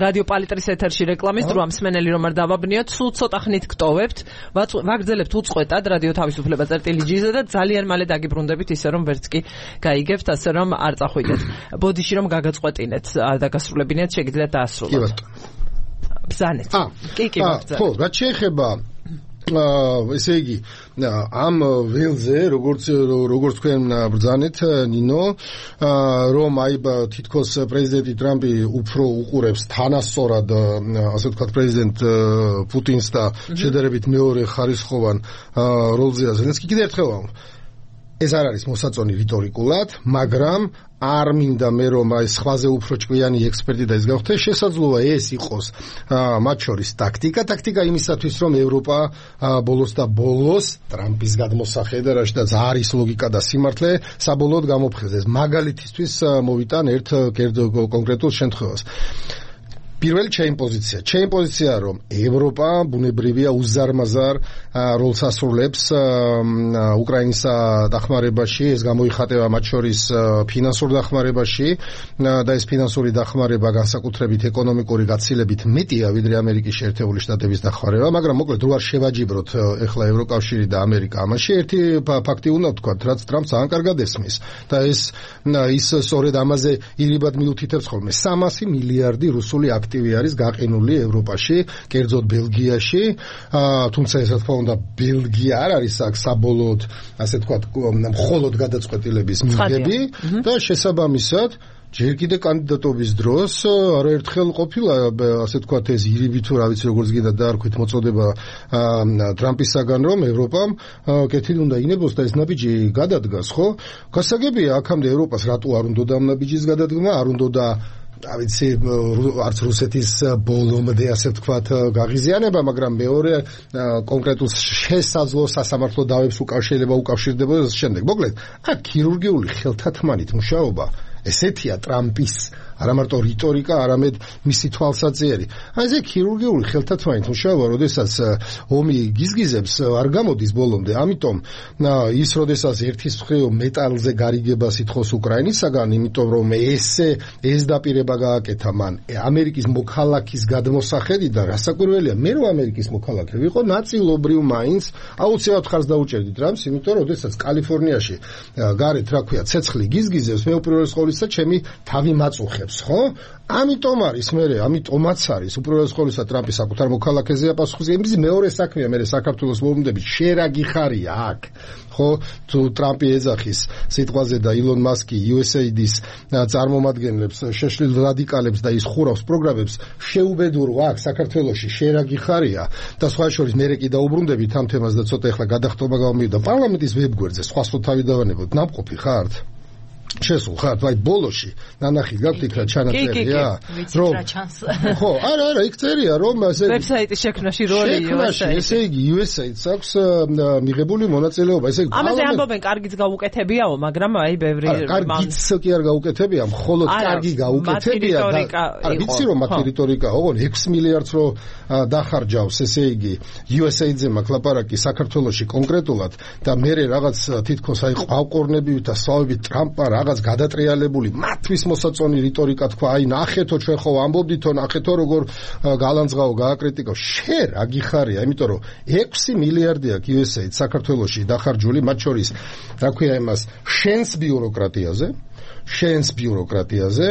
[SPEAKER 1] რადიო პალიტრის ეთერში რეკლამის დროა, მსმენელი რომ არ დავაბნიოთ, სულ ცოტა ხნით გტოვებთ, ვაგრძელებთ უწყვეტად რადიო თავისუფლება წერტილი-G-ზე და ძალიან მალე დაგიბრუნდებით ისე რომ ვერც კი გაიგებთ, ასე რომ არ წახვიდეთ. ბოდიში რომ გაგაწყვეტინეთ, დაგასრულებინეთ, შეგიძლიათ დაასრულოთ.
[SPEAKER 3] კი ბატონო.
[SPEAKER 1] ბრძანეთ. კი, ბრძანეთ.
[SPEAKER 3] ხო, რაც შეეხება ესე იგი ამ ველზე როგორც თქვენ ბრძანეთ ნინო, რომ აი თითქოს პრეზიდენტი ტრამპი უფრო უყურებს თანასწორად ასე ვთქვათ პრეზიდენტ პუტინს და შედარებით მეორე ხარისხოვან როლზეა ზელენსკი. კიდევ ერთხელ ეს არ არის მოსაწონი რიტორიკულად, მაგრამ არ მინდა მე რომ აი სხვაზე უფრო ჭკვიანი ექსპერტი და ის გავხდე, შესაძლოა ეს იყოს მათ შორის ტაქტიკა იმისათვის რომ ევროპა ბოლოს ტრამპის გადმოსახედა რაშიდაც არის ლოგიკა და სიმართლე საბოლოოდ გამოფხიზეს. მაგალითისთვის მოვიტან ერთ კონკრეტულ შემთხვევას. პირველი ჩემი პოზიცია რომ ევროპა ბუნებრივია უზარმაზარ როლს ასრულებს უკრაინისა დახმარებაში, ეს გამოიხატება მათ შორის ფინანსურ დახმარებაში და ეს ფინანსური დახმარება განსაკუთრებით ეკონომიკური გაცილებით მეტია ვიდრე ამერიკის შეერთებული შტატების დახმარება, მაგრამ მოკლედ რო არ შევაჯიბროთ ეხლა ევროკავშირი და ამერიკა ამაში, ერთი ფაქტი უნდა ვთქვათ, რაც ტრამპს ძალიან კარგად ესმის და ის სწორედ ამაზე ირიბად მიუთითებს ხოლმე 300 მილიარდი რუსული აქტივი არის გაყინული ევროპაში, კერძოდ ბელგიაში, თუმცა ეს რა თქმა უნდა ბელგია არ არის აქ საბოლოოდ, ასე ვთქვათ, მხოლოდ გადაწყვეტილების მიღები და შესაბამისად ჯერ კიდე კანდიდატობის დროს არაერთხელ ყოფილა ასე ვთქვათ ეს ირიბი თუ რა ვიცი როგორც გინდა დაარქვით მოწოდება ტრამპისაგან, რომ ევროპამ კეთილი უნდა ინებოს და ეს ნაბიჯი გადადგას, ხო? გასაგებია აქამდე ევროპას რატო არ უნდა ამ ნაბიჯის გადადგმა, არ უნდა ავიცი არც რუსეთის ბოლომდე ასე ვთქვათ გაღიზიანება, მაგრამ მეორე კონკრეტულ შესაძლო სასამართლო დავებს უკავშირდება შემდეგ. მოკლედ, აქ ქირურგიული ხელთათმანით მუშაობა ესეთია ტრამპის არა მარტო რიტორიკა, არამედ მისი თვალსაჩინო. აი ეს ქირურგიული ხელთათმანით მუშაობა, როდესაც ომი გიზგიზებს, არ გამოდის ბოლომდე. ამიტომ ის როდესაც ერთის მხრივ მეტალზე გარიგებას ითხოვს უკრაინისაგან, იმიტომ რომ ეს დაპირება გააკეთა მან ამერიკის მოქალაქის გადმოსახედიდან, რასაკვირველია, მე რომ ამერიკის მოქალაქე ვიყო, ნაწილობრივ მაინც აუცილებლად ხარს დაუჭერდი ტრამპს, იმიტომ რომ როდესაც კალიფორნიაში გარეთ რა ქვია, ცეცხლი გიზგიზებს, მე უპირველეს ყოვლისა ჩემი თავი მაწუხე. ეხებს, ხო? ამიტომაც არის უპირველეს ყოვლისა ტრამპის საკუთარ მოქალაქეზე პასუხი. იმის მეორე საქმეა მე საქართველოს მოვლენებით შერა გიხარია აქ. ხო, თუ ტრამპი ეძახის სიტყვაზე და ილონ მასკი USAID-ის წარმომადგენლებს, შეშლილ რადიკალებს და ის ხურავს პროგრამებს, შეუბედურო აქ საქართველოში შერა გიხარია და სხვა შორის მე კი დაუბრუნდებით ამ თემას და ცოტა ახლა გადახტობა გამომივიდა პარლამენტის ვებგვერდზე, სხვა თავი დავანებოთ, ნამყოფი ხართ? შესულ ხართ, აი ბოლოში ნანახი გაქვთ იქ რა ჩანაწერია,
[SPEAKER 2] რომ
[SPEAKER 3] ხო, არა, იქ წერია რომ ესე
[SPEAKER 1] ვებსაიტის შექმნაში როლი USAID.
[SPEAKER 3] ესე იგი USAID-ს აქვს მიღებული მონაწილეობა, ესე იგი
[SPEAKER 1] ამაზე ამბობენ კარგიც გაუკეთებიაო, მაგრამ აი ბევრი
[SPEAKER 3] კარგიც კი არ გაუკეთებია, მხოლოდ კარგი გაუკეთებია და არა ვიცი რომ მათი რიტორიკა ოღონ 6 მილიარდს რო დახარჯავს, ესე იგი USAID-ზე მაქვს ლაპარაკი საქართველოში კონკრეტულად და მე რაღაც თითქოს აი ყავყორნებით და სწავებით ტრამპა რაღაც გადატრიალებული მათთვის მოსაწონი რიტორიკა თქვა, აი ნახეთო ჩვენ ხო ამბობდითო, ნახეთო როგორ გალანძღაო, გააკრიტიკო. შენ რა გიხარია, იმიტომ რომ 6 მილიარდი აქვს USAID საქართველოში დახარჯული, მათ შორის რა ქვია იმას, შენს ბიუროკრატიაზე,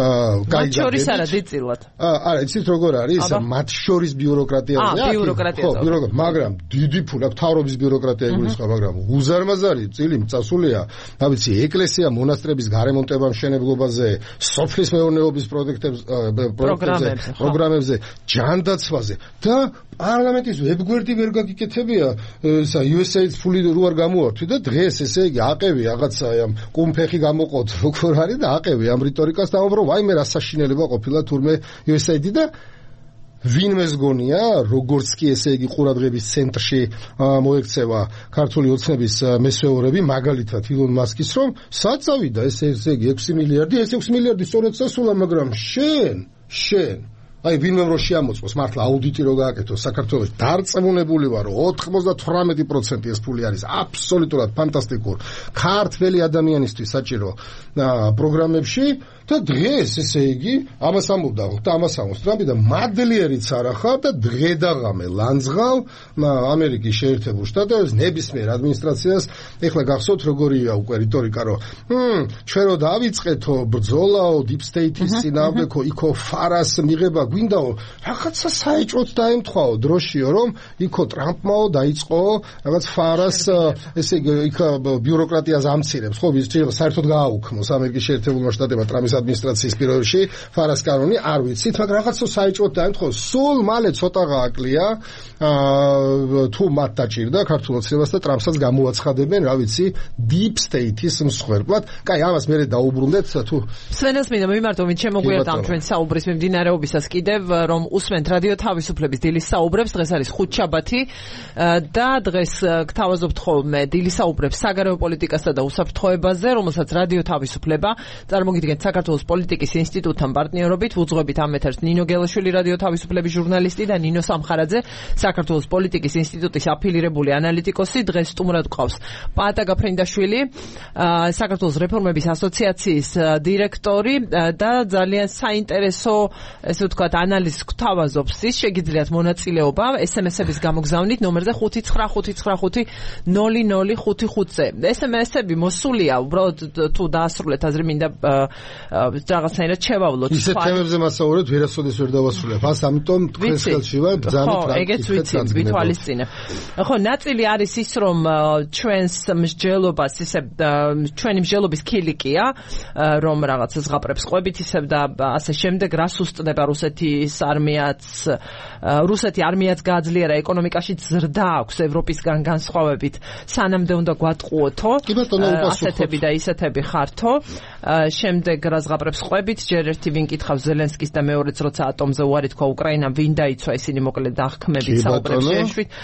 [SPEAKER 1] მათ შორის არა დიწილად.
[SPEAKER 3] არა, იცით როგორ არის? მათ შორის ბიუროკრატიაზე.
[SPEAKER 1] ბიუროკრატიაზე.
[SPEAKER 3] მაგრამ დიდი ფული აქვს, თავრობის ბიუროკრატია იგულისხმება, მაგრამ უზარმაზარი წილი მწასულია, რა ვიცი, ეკლესია, მონასტრების გარემონტება მშენებლობაზე, სოფლის მეურნეობის პროგრამებზე, ჯანდაცვაზე და პარლამენტის ვებგვერდი ვერ გაგიკეთებია, USAID-ს ფული რო არ გამოართვი და დღეს ესე იგი აყევი რაღაცა ამ კუმფეხი გამოყოთ როგორ არის და აყევი ამ რიტორიკას და ამბობ რომ ვაიმე რა საშინელება ყოფილა თურმე USAID და ვინმეს გონია როგორც კი ესე იგი ყურადღების ცენტრში მოექცევა ქართული ოცნების მესვეურები მაგალითად ილონ მასკის რომ საწავიდა ესე იგი 6 მილიარდი ეს 6 მილიარდი სწორედ სასულა მაგრამ შენ აი ვინმე რო შეამოწმოს მართლა აუდიტი რო გააკეთოს საქართველოს დარწმუნებული ვარ რომ 98% ეს ფული არის აბსოლუტურად ფანტასტიკურ ქართველი ადამიანისთვის საჭირო პროგრამებში და დღეს ესე იგი ამას ამბობდა და ამას ამბობს ტრამპი და მადლიერიც არ ახარ და დღე დაღამე ლანძღავ ამერიკის შეერთებულ შტატებში ნებისმიერ ადმინისტრაციას ეხლა გახსოვთ როგორია უკვე რიტორიკა რომ ჩვენ რო დავიწყეთო ბრძოლაო deep state-ის წინააღმდეგო იქო ფარას მიღება გვინდაო რაღაცა საეჭვოდ დაემთხვაო დროშიო რომ იქო ტრამპმაო დაიწყო რაღაც ფარას ესე იგი იქ ბიუროკრატიას ამცირებს ხო საერთოდ გააუქმოს ამერიკის შეერთებულმა შტატებმა ტრამპის ადმინისტრაციის პირობებში ფარას კანონი არ ვიცით მაგრამ რაღაცა საეჭვოდ დაემთხვაო სულ მალე ცოტა გააკლია თუ მათ დაჭირდა ქართულ ოცნებას და ტრამპსაც გამოაცხადებენ რა ვიცი deep state-ის მსხვერპლად კაი ამას მე დაუბრუნდეთ თუ
[SPEAKER 1] სვენელს მინდა მიმართო ვინ შემოგვიერთდა ამ ჩვენ საუბრის მიმდინარეობისას კიდევ რომ უსმენთ რადიო თავისუფლების დილის საუბრებს დღეს არის ხუთშაბათი და დღეს გთავაზობთ ხოლმე დილის საუბრებს საგარეო პოლიტიკასა და უსაფრთხოებაზე რომელსაც რადიო თავისუფლება წარმოგიდგენთ საქართველოს პოლიტიკის ინსტიტუტთან პარტნიორობით ვუძღვებით ამ ეთერს ნინო გელაშვილი რადიო თავისუფლების ჟურნალისტი და ნინო სამხარაძე საქართველოს პოლიტიკის ინსტიტუტის აფილირებული ანალიტიკოსი დღეს სტუმრად გვყავს პაატა გაფრინდაშვილი საქართველოს რეფორმების ასოციაციის დირექტორი და ძალიან საინტერესო ესე ვთქვათ ანალიზს გვთავაზობს ის შეგიძლიათ მონაწილეობა SMS-ების გამოგზავნით ნომერზე 595500555-ზე SMS-ები მოსულია უბრალოდ თუ დაასრულეთ აზრი მინდა რაღაცნაირად შევავლოთ
[SPEAKER 3] ისეთ თემებზე მასაურებთ ვერასოდეს ვერ დავასრულებ ამიტომ თქვენს ხელში ვარ ბრძანეთ
[SPEAKER 1] რა ეგეც ვიცი ვითვალისწინებ ხო ნაწილი არის ის რომ ჩვენს მსჯელობას ისე ჩვენი მსჯელობის ქილიკია რომ რაღაცა ზღაპრებს ყვებით ისე და ასე შემდეგ რას უსწრდება რუსეთი არმიაც გააძლიერა ეკონომიკაში ზრდა აქვს ევროპისგან განსხვავებით სანამდე უნდა გვატყუოთო ასეთები და ისეთები ხართო შემდეგ რა ზღაპრებს ყვებით ჯერ ერთი ვინ კითხავს ზელენსკის და მეორეც როცა ატომზე უარი თქვა უკრაინამ ვინ დაიცვა ისინი მოკლედ აღქმებით საუბრებს შეეშვით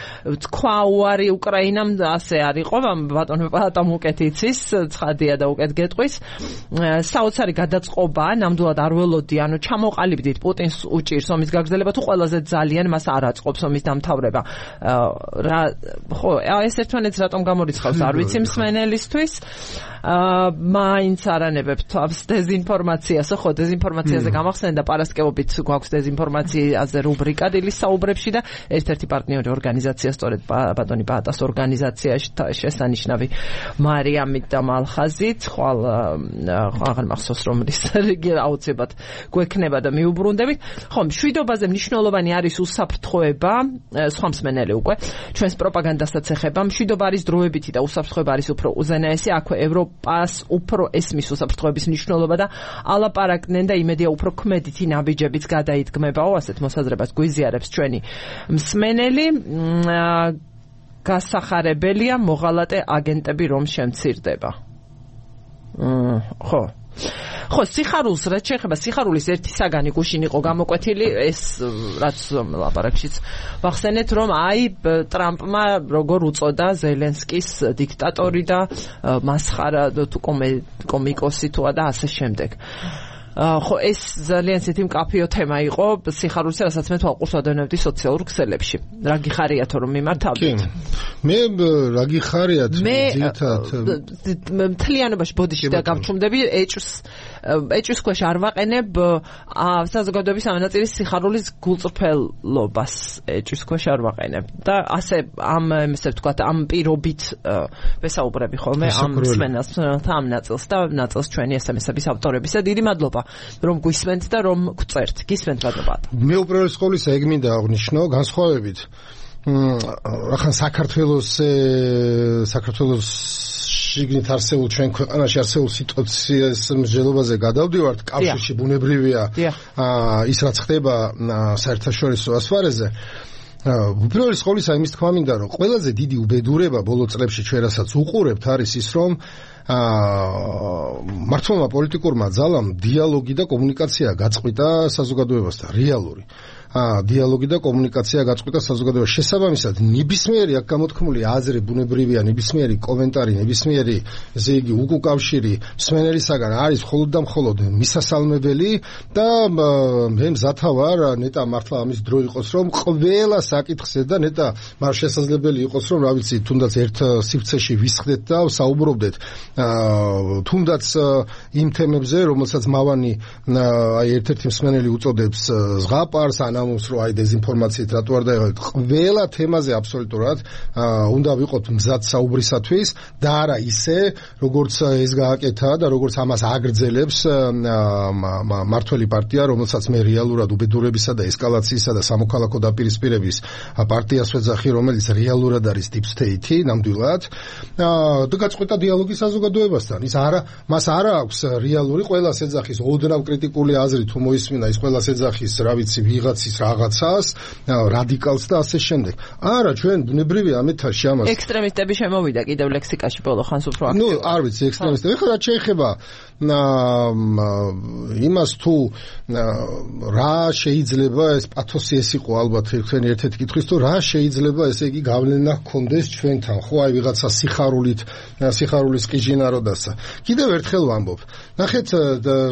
[SPEAKER 1] თქვა უარი უკრაინამ ასე არ იყო ბატონო პატამ უკეთ იცის ცხადია და უკეთ გეტყვის საოცარი გადაწყობა ნამდვილად არ ველოდი ანუ ჩამოყალიბდით პუტინს უჭირს ომის გაგრძელება თუ ყველაზე ძალიან მას არ აწყობს ომის დამთავრება. ხო, ეს ერთმანეთს რატომ გამორიცხავს არ ვიცი მსმენელისთვის. მაინც არანებებ თავს დეზინფორმაციას, ხო, დეზინფორმაციაზე გამახსენდა პარასკევობით გვაქვს დეზინფორმაციაზე რუბრიკა დილის საუბრებში და ერთ-ერთი პარტნიორი ორგანიზაცია სწორედ ბატონი ბატას ორგანიზაციაში შესანიშნავი მარიამით და მალხაზით, ხვალ აღარ მახსოვს რომლის რიგი აუცილებლად გვექნება და მიუბრუნდებით. ხო, მშვიდობაზე მნიშვნელოვანი არის უსაფრთხოება, სხვა მსმენელი უკვე ჩვენს პროპაგანდასაც ეხება. მშვიდობა არის დროებითი და უსაფრთხოება არის უფრო უზენაესი. აქვე ევროპას უფრო ესმის უსაფრთხოების მნიშვნელობა და ალაპარაკდნენ და იმედია უფრო ქმედითი ნაბიჯებიც გადაიდგმებაო, ასეთ მოსაზრებას გვიზიარებს ჩვენი მსმენელი. გასახარებელია მოღალატე აგენტები რომ შემცირდება. ხო. ხო, სიხარულს რაც შეეხება, სიხარულის ერთი საგანი გუშინ იყო გამოკვეთილი, ეს რაც ლაპარაკშიც ვახსენეთ, რომ აი ტრამპმა როგორ უწოდა ზელენსკის დიქტატორი და მასხარა თუ კომიკოსი თუა და ასე შემდეგ. ხო, ეს ძალიან ცეთი მკაფიო თემა იყო სიხარულის, რასაც მე თვალყურს ვადევნებდი სოციალურ ქსელებში. რა გიხარიათო რომ მიმართავდით?
[SPEAKER 3] მე რა გიხარიათ ძირითადად
[SPEAKER 1] მთლიანობაში ბოდიში და გავჩუმდები ეჭვის ქვეშ არ ვაყენებ საზოგადოების ამანაწილის სიხარულის გულწრფელობას ეჭვის ქვეშ არ ვაყენებ და ასე ესე ვთქვათ ამ პირობით ვესაუბრები ხოლმე ამ მსმენელს ამ ნაწილს და ნაწილს ჩვენი SMS-ების ავტორებისა. დიდი მადლობა რომ გვისმენთ და რომ გვწერთ. გისმენთ მადლობა.
[SPEAKER 3] მე უპირველეს ყოვლისა ეგ მინდა აღნიშნო განსხვავებით ახლა საქართველოს შიგნით არსებულ ჩვენ ქვეყანაში არსებულ სიტუაციას მსჯელობაზე გადავდივართ, კავშირში ბუნებრივია ის რაც ხდება საერთაშორისო ასპარეზზე. უპირველეს ყოვლისა იმის თქმა მინდა რომ ყველაზე დიდი უბედურება ბოლო წლებში ჩვენ რასაც უყურებთ არის ის რომ მართლმა პოლიტიკურმა ძალამ დიალოგი და კომუნიკაცია გაწყვიტა საზოგადოებასთან, რეალური დიალოგი და კომუნიკაცია გაწყვიტა საზოგადოებას. შესაბამისად, ნებისმიერი აქ გამოთქმული აზრი, ბუნებრივია ნებისმიერი კომენტარი, ნებისმიერი ესე იგი უკავშირი მსმენელისაგან არის მხოლოდ და მხოლოდ მისასალმებელი და მე მზათა ვარ ნეტა მართლა ამის დრო იყოს რომ ყველა საკითხზე და ნეტა მას შესაძლებელი იყოს რომ რა ვიცი თუნდაც ერთ სივრცეში ვისხდეთ და საუბრობდეთ თუნდაც იმ თემებზე რომელსაც მავანი აი ერთ-ერთი მსმენელი უწოდებს ზღაპარს ამოს რო აი დეზინფორმაციით რატო არ დაიღოთ ყველა თემაზე აბსოლუტურად უნდა ვიყოთ მზად საუბრისათვის და არა ისე როგორც ეს გააკეთა და როგორც ამას აგრძელებს მართველი პარტია რომელსაც მე რეალურად უბედურებისა და ესკალაციისა და სამოქალაქო დაპირისპირების პარტიას ვეძახი რომელიც რეალურად არის deep state-ი ნამდვილად და გაწყვეტა დიალოგი საზოგადოებასთან ის არა მას არა აქვს რეალური ყველას ეძახის ოდნავ კრიტიკული აზრი თუ მოისმინა ის ყველას ეძახის რა ვიცი ვიღაცის რაღაცას რადიკალს და ასე შემდეგ. არა, ჩვენ ბუნებრივია ამ ეთაში ამას.
[SPEAKER 1] ექსტრემისტები შემოვიდა კიდევ ლექსიკაში ბოლო ხანს უფრო აქტიურად.
[SPEAKER 3] ნუ არ ვიცი ექსტრემისტები. ეხლა რაც შეეხება იმას თუ რა შეიძლება ეს პათოსი ეს იყო ალბათ თქვენი ერთ-ერთი კითხვის თუ რა შეიძლება ესე იგი გავლენა ჰქონდეს ჩვენთან ხო აი ვიღაცა სიხარულის ყიჟინაროდასა. კიდევ ერთხელ ვამბობ. ნახეთ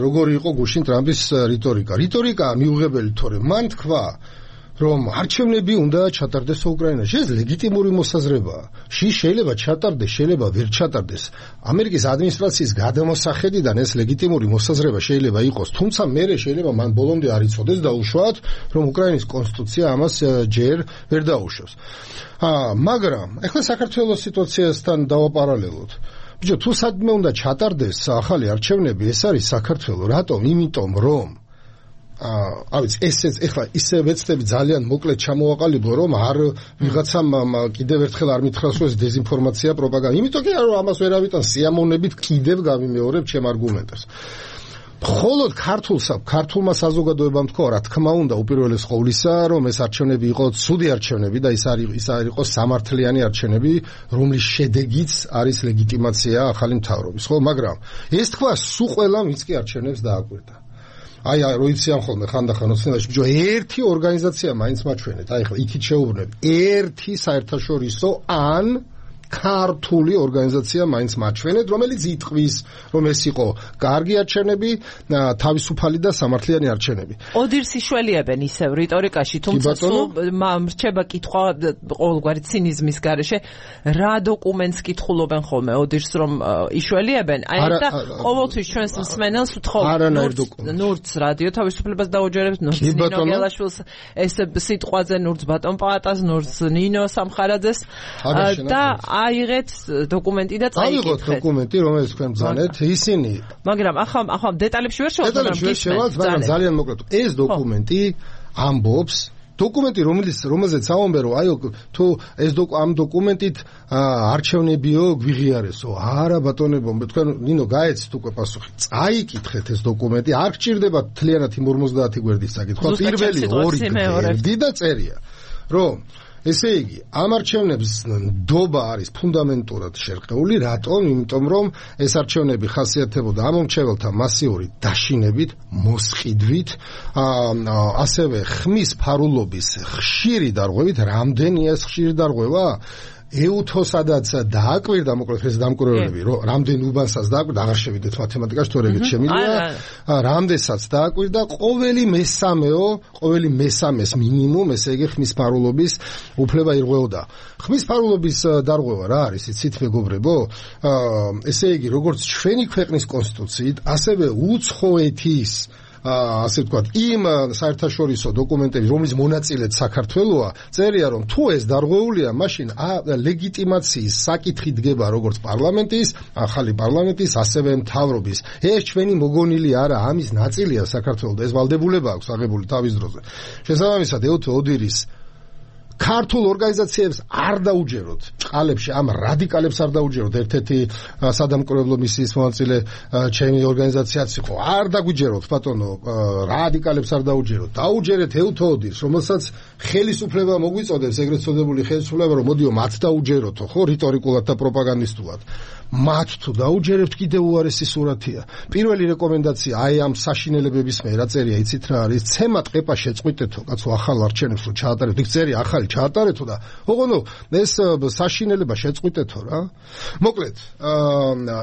[SPEAKER 3] როგორი იყო გუშინ ტრამპის რიტორიკა. რიტორიკა მიუღებელი თორემ მან თქვა რომ არჩევნები უნდა ჩატარდეს უკრაინაში. ეს ლეგიტიმური მოსაზრებაა. შეიძლება ჩატარდეს, შეიძლება ვერ ჩატარდეს. ამერიკის ადმინისტრაციის გადამოსახედიდან ეს ლეგიტიმური მოსაზრება შეიძლება იყოს, თუმცა მერე შეიძლება მან ბოლომდე არ იცოდეს დაუშვათ, რომ უკრაინის კონსტიტუცია ამას ჯერ ვერ დაუშვებს. მაგრამ ახლა საქართველოს სიტუაციასთან დავაპარალელოთ. ბიჭო, თუ სადმე უნდა ჩატარდეს ახალი არჩევნები, ეს არის საქართველო. რატომ? იმიტომ რომ ავიც ესეც ეხლა ისე ვეცდები ძალიან მოკლედ ჩამოვაყალიბო რომ არ ვიღაცამ კიდევ ერთხელ არ მითხრას რომ ეს დეზინფორმაცია პროპაგანდა. იმიტომ კი რომ ამას ვერავითან სიამოვნებით კიდევ გავიმეორებ ჩემ არგუმენტებს. მხოლოდ ქართულმა საზოგადოებამ თქვა რა თქმა უნდა უპირველეს ყოვლისა რომ ეს არჩევნები იყოს ცუდი არჩევნები და ის არ იყოს სამართლიანი არჩევნები რომლის შედეგიც არის ლეგიტიმაცია ახალი მთავრობის ხო მაგრამ ეს თქვა სულ ყველა ვინც კი არჩევნებს დააკვირდა. აი როიციან ხოლმე ხანდახან ოცნებაში ბიჭო ერთი ორგანიზაცია მაინც მაჩვენეთ აი ხა იქით შეუბრუნებ ერთი საერთაშორისო ან ქართული ორგანიზაცია მაინც მაჩვენეთ, რომელიც იტყვის, რომ ეს იყო კარგი არჩევნები, თავისუფალი და სამართლიანი არჩევნები.
[SPEAKER 1] ოდირს იშველიებენ ისევ რიტორიკაში, თუმცა რჩება კითხვა ყოველგვარი ცინიზმის გარეშე, რა დოკუმენტს კითხულობენ ხოლმე ოდირს რომ იშველიებენ? აი და ყოველთვის ჩვენს მსმენელს ვთხოვთ ნურც რადიო თავისუფლებას დაუჯერებთ, ნურც ნინო გელაშვილს, ეს სიტყვაზე ნურც ბატონ პაატას, ნურც ნინო სამხარაძეს და აიღეთ დოკუმენტი და წაიკითხეთ.
[SPEAKER 3] აიღოთ დოკუმენტი, რომელიც თქვენ ბრძანეთ, ისინი.
[SPEAKER 1] მაგრამ ახლა დეტალებში ვერ
[SPEAKER 3] შევავთ, მაგრამ ძალიან მოკლედ. ეს დოკუმენტი ამბობს დოკუმენტი რომელზეც ამბობენ რომ აიო თუ ეს ამ დოკუმენტით არჩევნებიო გვიღიარესო არა ბატონებო თქვენ ნინო გაეცით უკვე პასუხი წაიკითხეთ ეს დოკუმენტი არ გჭირდება თლიანად იმ 50 გვერდის საკითხვა პირველი 2 გვერდი და წერია რომ ესე იგი ამ არჩევნების ნდობა არის ფუნდამენტურად შერყეული რატომ იმიტომ რომ ეს არჩევნები ხასიათდებოდა ამომრჩეველთა მასიური დაშინებით მოსყიდვით ასევე ხმის ფარულობის ხშირი დარღვევით რამდენია ეს ხშირი დარღვევა ეუთოსადაც დააკვირდა მოკლედ ეს დამკვირვებლები რომ რამდენ უბანსაც დააკვირდა აღარ შევიდეთ მათემატიკაში თუ რეგეთ შემიძლია რამდენსაც დააკვირდა ყოველი მესამეს მინიმუმ ესე იგი ხმის ფარულობის უფლება ირღვეოდა ხმის ფარულობის დარღვევა რა არის იცით მეგობრებო ესე იგი როგორც ჩვენი ქვეყნის კონსტიტუციით ასევე უცხოეთის ასე ვთქვათ, იმ საერთაშორისო დოკუმენტები, რომლის მონაწილეც საქართველოა, წერია რომ თუ ეს დარღვეულია, მაშინ ლეგიტიმაციის საკითხი დგება როგორც პარლამენტის, ახალი პარლამენტის, ასევე მთავრობის. ეს ჩვენი მოგონილი არა, ამის ნაწილია საქართველოს და ეს ვალდებულება აქვს აღებული თავის დროზე. შესაბამისად, ეუთო ოდირის ქართულ ორგანიზაციებს არ დაუჯეროთ ჭყალებში ამ რადიკალებს არ დაუჯეროთ ერთ-ერთი სადამკვირვებლო მისიის მონაწილე ჩემი ორგანიზაციაც იყო არ დაგვიჯეროთ ბატონო რადიკალებს არ დაუჯეროთ დაუჯერეთ ეუთოოდირს რომელსაც ხელისუფლება მოგვიწოდებს ეგრეთ წოდებული ხელისუფლება რომ მოდიო მათ დაუჯეროთო ხო რიტორიკულად და პროპაგანდისტულად მათ თუ დაუჯერებთ კიდევ უარესი სურათია პირველი რეკომენდაცია აი ამ საშინელებების მე რა წერია იცით რა არის ცემატ ყეპა შეწყვიტეთო კაცო ახალ არჩევნებს რო ჩაატარებთ იქ წერია ახალი ჩაატარეთო და ოღონდ ეს საშინელება შეწყვიტეთო რა მოკლედ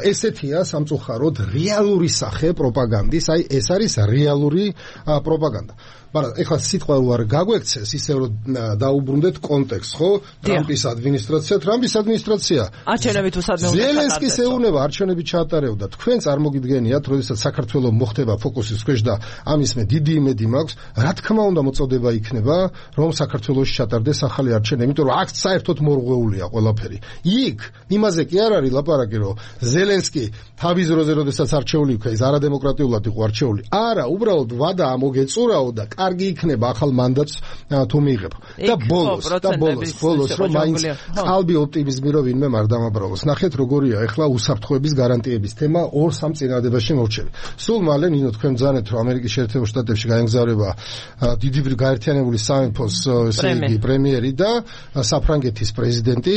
[SPEAKER 3] ესეთია სამწუხაროდ რეალური სახე პროპაგანდის აი ეს არის რეალური პროპაგანდა მაგრამ ეხლა სიტყვა უარ გაგვექცეს ისე რომ დაუბრუნდეთ კონტექსტს ხო ტრამპის ადმინისტრაცია არჩევნები თუ სადმე უნდა ზელენსკის ეუნება არჩევნები ჩაატარებდა თქვენ წარმოგიდგენიათ როდესაც საქართველოს მოხდება ფოკუსის ქვეშ და ამის მე დიდი იმედი მაქვს რა თქმა უნდა მოწოდება იქნება რომ საქართველოში ჩატარდეს ახალი არჩევნები იმიტომ რომ აქ საერთოდ მორღვეულია ყველაფერი იქ იმაზე კი არ არის ლაპარაკი რომ ზელენსკი თავის დროზე როდესაც არჩეული იქნა ის არადემოკრატიულად იყო არჩეული არა უბრალოდ ვადა მოგეწურაო და კარგი იქნება ახალ მანდატს თუ მიიღებ და ბოლოს რომ მაინც qalbi ოპტიმიზმი რომ ვინმე არ დამაბრალოს ნახეთ როგორია ეხლა უსაფრთხოების გარანტიების თემა 2-3 წინადადებაში მორჩები სულ მალე ნინო თქვენ ბრძანეთ რომ ამერიკის შეერთებულ შტატებში გაემგზავრება დიდი გაერთიანებული სამეფოს ესე იგი პრემიერი და საფრანგეთის პრეზიდენტი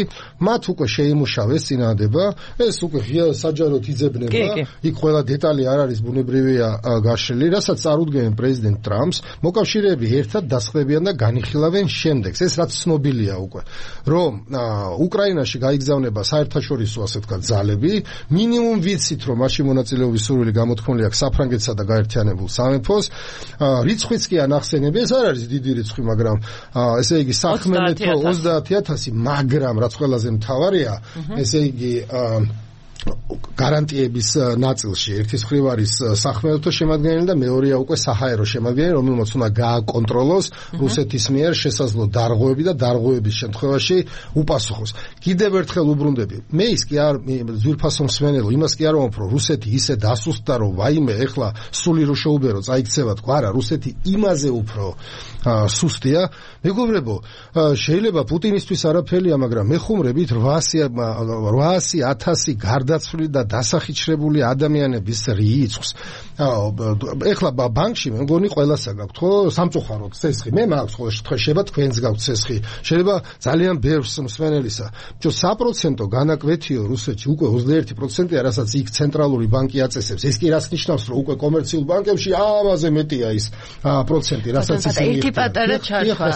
[SPEAKER 3] მათ უკვე შეიმუშავეს წინადადება ეს უკვე ღია საჯაროდ იძებნება იქ ყველა დეტალი არ არის ბუნებრივია გაშლილი რასაც წარუდგენენ პრეზიდენტ ტრამპს მოკავშირეები ერთად დასხდებიან და განიხილავენ შემდეგს ეს რაც ცნობილია უკვე რომ უკრაინაში გაიგზავნება საერთაშორისო ასე ვთქვათ ძალები მინიმუმ ვიცით რომ მაშინ მონაწილეობის სურვილი გამოთქმული აქვს საფრანგეთსა და გაერთიანებულ სამეფოს რიცხვიც კი ანახსენები ეს არ არის დიდი რიცხვი მაგრამ ესე იგი სახმელეთო 30000 მაგრამ რაც ყველაზე მთავარია ესე იგი გარანტიების ნაწილში ერთის მხრივ არის სახმელეთო შემადგენელი და მეორეა უკვე საჰაერო შემადგენელი რომელმაც უნდა გააკონტროლოს რუსეთის მიერ შესაძლო დარღვევები და დარღვევების შემთხვევაში უპასუხოს კიდევ ერთხელ უბრუნდები მე ის კი არ ძვირფასო მსმენელო იმას კი არ ვამბობ რომ რუსეთი ისე დასუსტდა რომ ვაიმე ეხლა სული რო შეუბერო წაიქცევა თქვა არა რუსეთი იმაზე უფრო სუსტია მეგობრებო შეიძლება პუტინისთვის არაფერია მაგრამ მე ხუმრებით 800,000 გარდაცვალებულ გარდაცვლილი და დასახიჩრებული ადამიანების რიცხვს. ეხლა ბანკში მე მგონი ყველას აქვს ხო სამწუხაროდ ცესხი. მე მაქვს ყოველ შემთხვევაში შეიძლება თქვენს გაქვთ ცესხი. შეიძლება ძალიან ბევრს მსმენელისა. ჯო 100% განაკვეთიო რუსეთში უკვე 21%-ია, რასაც იქ ცენტრალური ბანკი აწესებს. ეს კი რაც ნიშნავს, რომ უკვე კომერციულ ბანკებში ამაზე მეტია ის პროცენტი, რასაც ისინი
[SPEAKER 2] ერთი პატარა ჩარხვა.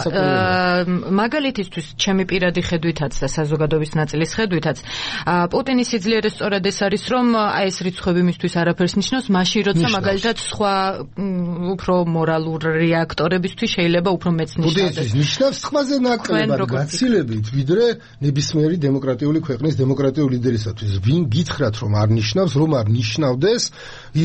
[SPEAKER 2] მაგალითისთვის ჩემი პირადი ხედვითაც და საზოგადოების ნაწილის ხედვითაც პუტინის სიძლიერე სწორად ეს არის, რომ აი ეს რიცხვები მისთვის არაფერს ნიშნავს, მაშინ როცა მაგალითად სხვა უფრო მორალური აქტორებისთვის შეიძლება უფრო მეც ნიშნავდეს.
[SPEAKER 3] პუტინის ნიშნავს სხვაზე ნაკლებად გაცილებით, ვიდრე ნებისმიერი დემოკრატიული ქვეყნის დემოკრატიული ლიდერისათვის. ვინ გითხრათ, რომ არ ნიშნავს, რომ არ ნიშნავდეს,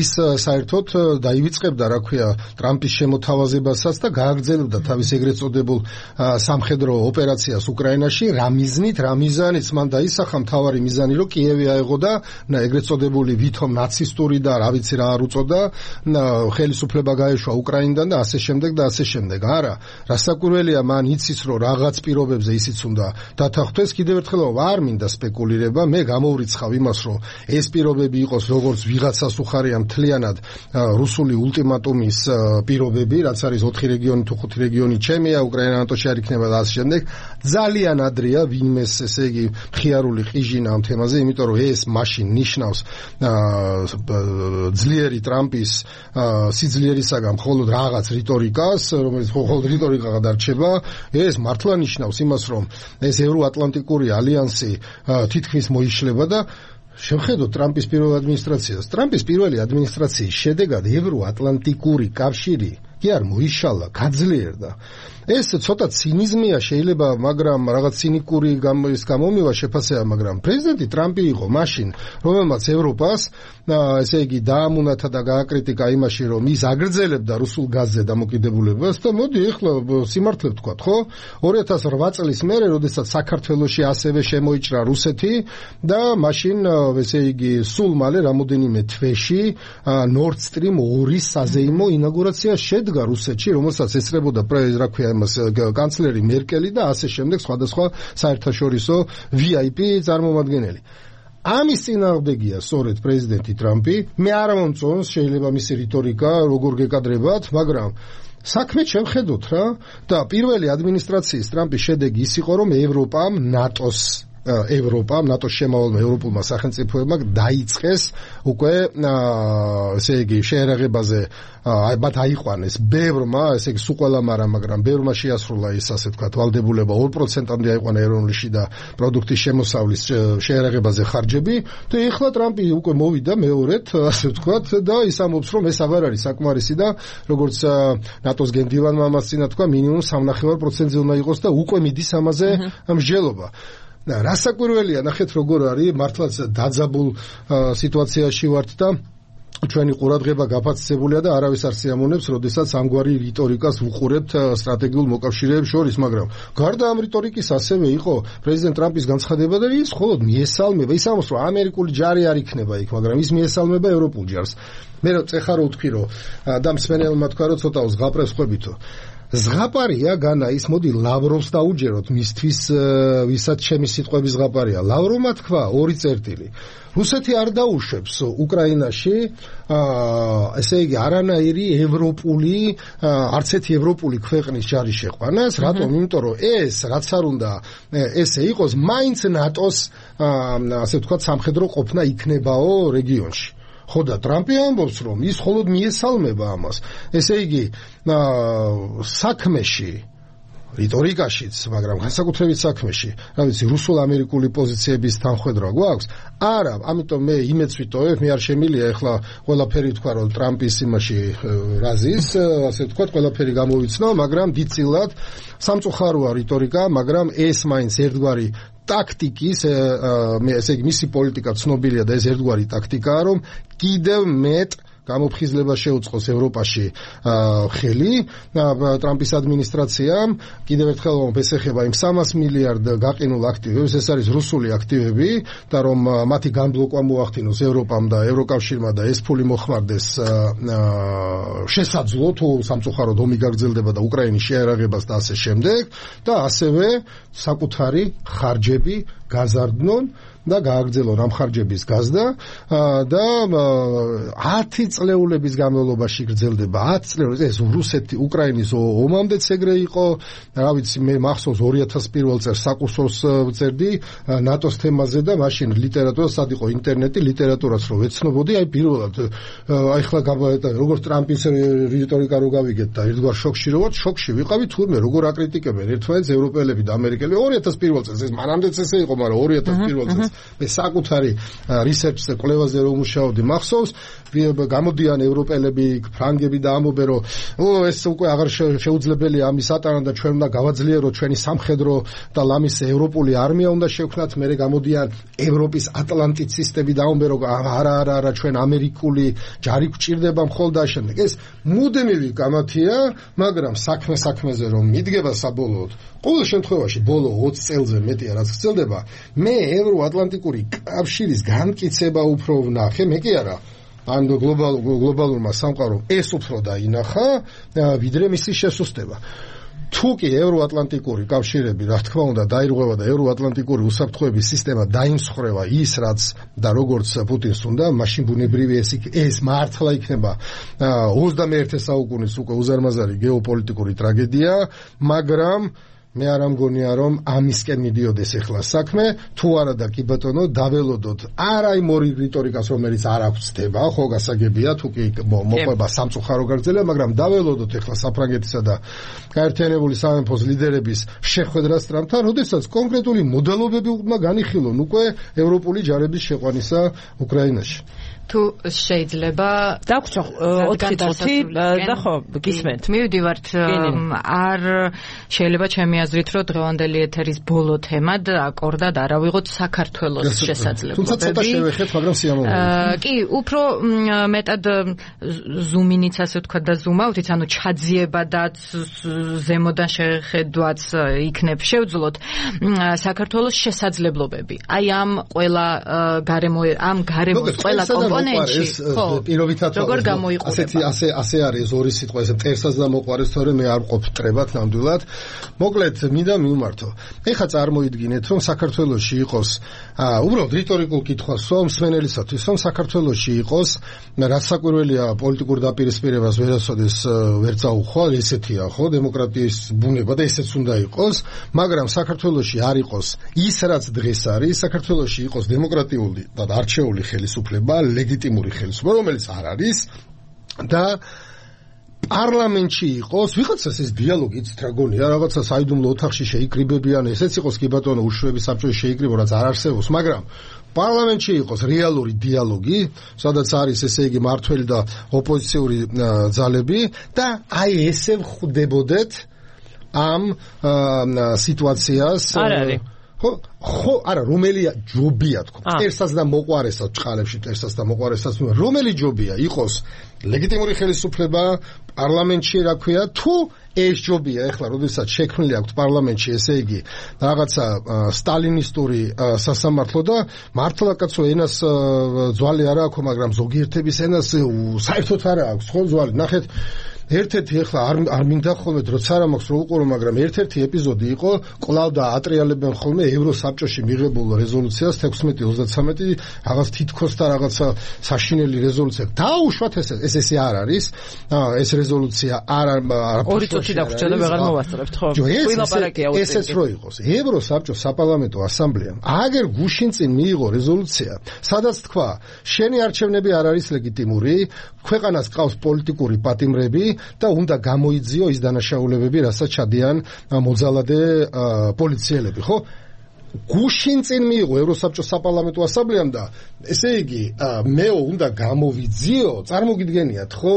[SPEAKER 3] ის საერთოდ დაივიწყებდა, რა ქვია, ტრამპის შემოთავაზებასაც და გააგრძელებდა თავის ეგრეთ წოდებულ სამხედრო ოპერაციას უკრაინაში. რა მიზნით, რა მიზანით მან დაისახა მთავარი მიზანი, რომ კიევი აეღოდა ეგრეთ წოდებული ვითომ ნაცისტური და რა ვიცი რა არ უწოდა ხელისუფლება გაეშვა უკრაინიდან და ასე შემდეგ და ასე შემდეგ. არა, რასაკვირველია, მან იცის, რომ რაღაც პირობებზე ისიც უნდა დათანხმდეს. კიდევ ერთხელ არ მინდა სპეკულირება, მე გამოვრიცხავ იმას, რომ ეს პირობები იყოს როგორც ვიღაცას უხარია მთლიანად რუსული ულტიმატუმის პირობები, რაც არის 4 რეგიონი თუ 5 რეგიონი ჩემია, უკრაინა ნატოში არ იქნება და ასე შემდეგ. ძალიან ადრეა ვინმეს ესე იგი მხიარული ყიჟინა ამ თემაზე, იმიტომ რომ ეს მაშინ ნიშნავს ძლიერი ტრამპის სიძლიერისაგან მხოლოდ რაღაც რიტორიკას, რომელიც მხოლოდ რიტორიკა გადარჩება. ეს მართლა ნიშნავს იმას, რომ ეს ევროატლანტიკური ალიანსი თითქმის მოიშლება და შევხედოთ ტრამპის პირველ ადმინისტრაციას. ტრამპის პირველი ადმინისტრაციის შედეგად ევროატლანტიკური კავშირი კი არ მოიშალა, გაძლიერდა. ეს ცოტა ცინიზმია შეიძლება, მაგრამ რაღაც ცინიკური გამომივა შეფასება, მაგრამ პრეზიდენტი ტრამპი იყო მაშინ, რომელმაც ევროპას ესე იგი დაამუნათა და გააკრიტიკა იმაში, რომ ის აგრძელებდა რუსულ გაზზე დამოკიდებულებას და მოდი ეხლა სიმართლე ვთქვათ, ხო? 2008 წლის მერე, როდესაც საქართველოში ასევე შემოიჭრა რუსეთი და მაშინ ესე იგი სულ მალე რამოდენიმე თვეში Nord Stream 2 საზეიმო ინაგურაცია შედგა რუსეთში, რომელსაც ესწრებოდა რა ქვია კანცლერი მერკელი და ასე შემდეგ სხვადასხვა საერთაშორისო VIP წარმომადგენელი. ამის წინააღმდეგია სწორედ პრეზიდენტი ტრამპი. მე არ მომწონს შეიძლება მისი რიტორიკა როგორ გეკადრებათ, მაგრამ საქმე შევხედოთ რა და პირველი ადმინისტრაციის ტრამპის შედეგი ის იყო, რომ ევროპამ ნატოს შემავალმა ევროპულმა სახელმწიფოებმა დაიწყეს უკვე ესე იგი შეერაღებაზე მათ აიყვანეს ბევრმა, ესე იგი სულ ყველამ არა, მაგრამ ბევრმა შეასრულა ის ასე ვთქვათ ვალდებულება 2%-მდე აიყვანა ეროვნული შიდა პროდუქტის შემოსავლის შეერაღებაზე ხარჯები და ეხლა ტრამპი უკვე მოვიდა მეორედ ასე ვთქვათ და ის ამბობს, რომ ეს აღარ არის საკმარისი და როგორც ნატოს გენდივანმა ამას წინა თქვა, მინიმუმ 3.5%-ზე უნდა იყოს და უკვე მიდის ამაზე მსჯელობა. რასაკვირველია, ნახეთ როგორ არის, მართლაც დაძაბულ სიტუაციაში ვართ და ჩვენი ყურადღება გაფასებულია და არავის არ სიამოვნებს, როდესაც ამგვარი რიტორიკას ვუყურებთ სტრატეგიულ მოკავშირეებს შორის, მაგრამ გარდა ამ რიტორიკის ასევე იყო პრეზიდენტ ტრამპის განცხადება და ის მხოლოდ მიესალმება, ის ამბობს, რომ ამერიკული ჯარი არ იქნება იქ, მაგრამ ის მიესალმება ევროპულ ჯარს. მე წეხა რო ვთქვი, რომ და მსმენელმა თქვა, რომ ცოტა ზღაპრებს ხვებითო. ზღაპარია განა ის, მოდი ლავროვს დაუჯეროთ მისთვის, ვისაც ჩემი სიტყვების ზღაპარია. ლავროვმა თქვა 2 წერტილი. რუსეთი არ დაუშვებს უკრაინაში ესე იგი არანაირი ევროპული არც ერთი ევროპული ქვეყნის ჯარის შეყვანას. რატომ? იმიტომ რომ ეს რაც არ უნდა ესე იყოს, მაინც ნატოს ასე ვთქვათ სამხედრო ყოფნა იქნებაო რეგიონში. ხო და ტრამპი ამბობს, რომ ის მხოლოდ მიესალმება ამას. ესე იგი საქმეში რიტორიკაშიც, მაგრამ განსაკუთრებით საქმეში, რა ვიცი, რუსულ-ამერიკული პოზიციების თანხვედრა გვაქვს? არა, ამიტომ მე იმედს ვიტოვებ, მე არ შემილია ეხლა ყველაფერი თქვა, რომ ტრამპის იმაში რაზის, ასე ვთქვათ, ყველაფერი გამოვიცნო, მაგრამ დიდწილად სამწუხაროა რიტორიკა, მაგრამ ეს მაინც ერთგვარი ტაქტიკის, ესე იგი მისი პოლიტიკა ცნობილია და ეს ერთგვარი ტაქტიკაა, რომ კიდევ მეტ გამოფხიზლება შეუწყოს ევროპაში ხელი ტრამპის ადმინისტრაციამ. კიდევ ერთხელ ეს ეხება იმ 300 მილიარდ გაყინულ აქტივებს, ეს არის რუსული აქტივები და რომ მათი განბლოკვა მოახდინოს ევროპამ და ევროკავშირმა და ეს ფული მოხმარდეს შესაძლო თუ სამწუხაროდ ომი გაგრძელდება და უკრაინის შეერაღებას და ასე შემდეგ და ასევე საკუთარი ხარჯები გაზარდნონ და გააგრძელონ ამ ხარჯების გაზრდა და 10 წლეულების განმავლობაში გრძელდება 10 წლეულების ეს რუსეთი უკრაინის ომამდეც ეგრე იყო რა ვიცი მე მახსოვს 2001 წელს საკურსორს ვწერდი ნატოს თემაზე და მაშინ ლიტერატურა სად იყო ინტერნეტი ლიტერატურაც რო ვეცნობოდი აი პირველად აი ხლა როგორც ტრამპის რიტორიკა რო გავიგეთ და ერთგვარ შოკში ვიყავი თურმე როგორ აკრიტიკებენ ერთმანეთს ევროპელები და ამერიკელები 2001 წელს ეს მანამდეც ესე იყო მაგრამ 2001 წელს მე საკუთარი რისერჩზე კვლევაზე რომ მუშაობდი მახსოვს გამოდიან ევროპელები ფრანგები და ამბობენ რომ ეს უკვე აღარ შეუძლებელია ამის ატანა და ჩვენ უნდა გავაძლიეროთ ჩვენი სამხედრო და ლამის ევროპული არმია უნდა შევქმნათ მე გამოდიან ევროპის ატლანტის სისტემები და ამბობენ რომ არა ჩვენ ამერიკული ჯარი გვჭირდება მხოლოდ აშენდ ეს მუდმივი გამათია მაგრამ საქმეზე რომ მიდგება საბოლოოდ ყოველ შემთხვევაში ბოლო 20 წელზე მეტია რაც გრძელდება მე ევროატლანტიკური კავშირის განმტკიცება უფრო ვნახე მე კი არა ან გლობალურმა სამყარომ ეს უფრო დაინახა ვიდრე მისი შესუსტება თუ კი ევროატლანტიკური კავშირები რა თქმა უნდა დაირღვევა და ევროატლანტიკური უსაფრთხოების სისტემა დაიმსხვრევა ის რაც და როგორც პუტინს უნდა მაშინ ბუნებრივი ეს მართლა იქნება 21 საუკუნის უკვე უზარმაზარი გეოპოლიტიკური ტრაგედია მაგრამ მე არ ამგონია რომ ამისკენ მიდიოდეს ახლა საქმე თუ არა და კი ბატონო დაველოდოთ არა იმ ორი რიტორიკას რომელიც არ აღწდება ხო გასაგებია თუ კი მოყვება სამწუხარო გაგრძელება მაგრამ დაველოდოთ ახლა საფრანგეთისა და გაერთიანებული სამეფოს ლიდერების შეხვედრას ტრამპთან როდესაც კონკრეტული მოდელობები უნდა განიხილონ უკვე ევროპული ჯარების შეყვანისა უკრაინაში
[SPEAKER 2] თუ შეიძლება
[SPEAKER 1] დაგვრჩა 4 წუთი და ხო გისმენთ
[SPEAKER 2] მივდივართ არ შეიძლება ჩემი აზრით რომ დღევანდელი ეთერის ბოლო თემად აკორდად არა ვიღოთ საქართველოს შესაძლებლობები
[SPEAKER 3] თუმცა ცოტა შევეხეთ მაგრამ სიამოვნებაა
[SPEAKER 2] კი უფრო მეტად ზუმინიც ასე ვთქვა და ზუმავთ ანუ ჩაძიება და ზემოდან შეხედვაც იქნებ შევძლოთ საქართველოს შესაძლებლობები აი ამ ყველა გარემოს ყველა
[SPEAKER 3] პირობითად
[SPEAKER 2] როგორ გამოიყურება
[SPEAKER 3] ასე არის ორი სიტყვა ესე მტერსაც და მოყვარეს თორე მე არ ყოფ მტრებად ნამდვილად მოკლედ მინდა მივმართო ეხლა წარმოიდგინეთ რომ საქართველოში იყოს უბრალოდ რიტორიკულ კითხვას მსმენელისათვის რომ საქართველოში იყოს რაც საკვირველია პოლიტიკურ დაპირისპირებას ვერასოდეს ვერ წაუხვალ ესეთია ხო დემოკრატიის ბუნება და ესეც უნდა იყოს მაგრამ საქართველოში არ იყოს ის რაც დღეს არის საქართველოში იყოს დემოკრატიული და არჩეული ხელისუფლება ლეგიტიმური ხელისუფლება რომელიც არ არის და პარლამენტში იყოს ვიღაცას ეს დიალოგი იცით რა გონია რაღაცა საიდუმლო ოთახში შეიკრიბებიან ესეც იყოს კი ბატონო უშუალო საბჭოში შეიკრიბო რაც არ არსებობს მაგრამ პარლამენტში იყოს რეალური დიალოგი სადაც არის ესე იგი მართველი და ოპოზიციური ძალები და აი ესე ვხვდებოდეთ ამ სიტუაციას
[SPEAKER 1] არ არის
[SPEAKER 3] ხო არა რომელია ჯობია თქო ერთსაც და მოყვარესაც ჭყალებში ერთსაც და მოყვარესაც რომელი ჯობია იყოს ლეგიტიმური ხელისუფლება პარლამენტში რა ქვია თუ ეს ჯობია ეხლა როდესაც შექმნილი აქვს პარლამენტში ესე იგი რაღაცა სტალინისტური სასამართლო და მართლა კაცო ენას ძვალი არა აქვს მაგრამ ზოგიერთების ენას საერთოდ არა აქვს ხო ძვალი ნახეთ ერთ-ერთი ეხლა არ მინდა ხოლმე როცა არ მაქვს რო უყურო მაგრამ ერთ-ერთი ეპიზოდი იყო კვლავ და ატრიალებენ ხოლმე ევროსაბჭოში მიღებულ რეზოლუციას 1633 რაღაც თითქოს და რაღაცა საშინელი რეზოლუცია დაუშვათ ეს ესე არ არის ეს რეზოლუცია არ
[SPEAKER 1] ორი წუთი დაგვრჩა და ვეღარ მოვასწრებთ ხო
[SPEAKER 3] ყველაფერია ესეც რო იყოს ევროსაბჭოს საპარლამენტო ასამბლეამ აგერ გუშინ წინ მიიღო რეზოლუცია სადაც თქვა შენი არჩევნები არ არის ლეგიტიმური ქვეყანას ყავს პოლიტიკური პატიმრები და უნდა გამოიძიო ის დანაშაულებები, რასაც ჩადიან მოძალადე პოლიციელები, ხო? გუშინ წინ მიიღო ევროსაბჭოს საპარლამენტო ასამბლეამ და ესე იგი მეო უნდა გამოვიძიო, წარმოგიდგენიათ, ხო?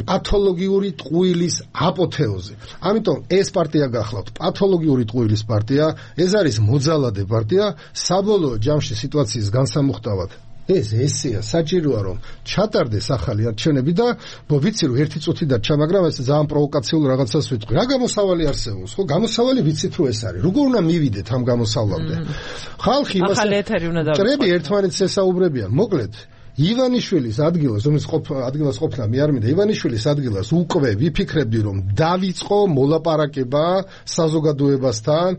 [SPEAKER 3] პათოლოგიური ტყუილის აპოთეოზი. ამიტომ ეს პარტია გახლავთ პათოლოგიური ტყუილის პარტია, ეს არის მოძალადე პარტია, საბოლოო ჯამში სიტუაციის განსამუხტავად ესეა საჭიროა რომ ჩატარდეს ახალი არჩევნები და ვიცი რომ ერთი წუთი დარჩა მაგრამ ეს ძალიან პროვოკაციულ რაღაცას ვიტყვი რა გამოსავალი არსებობს ხო გამოსავალი ვიცით რომ ეს არის როგორ უნდა მივიდეთ ამ გამოსავლამდე ხალხი იმას
[SPEAKER 1] ახალი ეთერი უნდა დავიწყოთ
[SPEAKER 3] ტრები ერთმანეთს ესაუბრებიან მოკლედ ივანიშვილის ადგილას, რომელიც ადგილას ყოფნა მე არ მინდა, ივანიშვილის ადგილას უკვე ვიფიქრებდი, რომ დავიწყო მოლაპარაკება საზოგადოებასთან,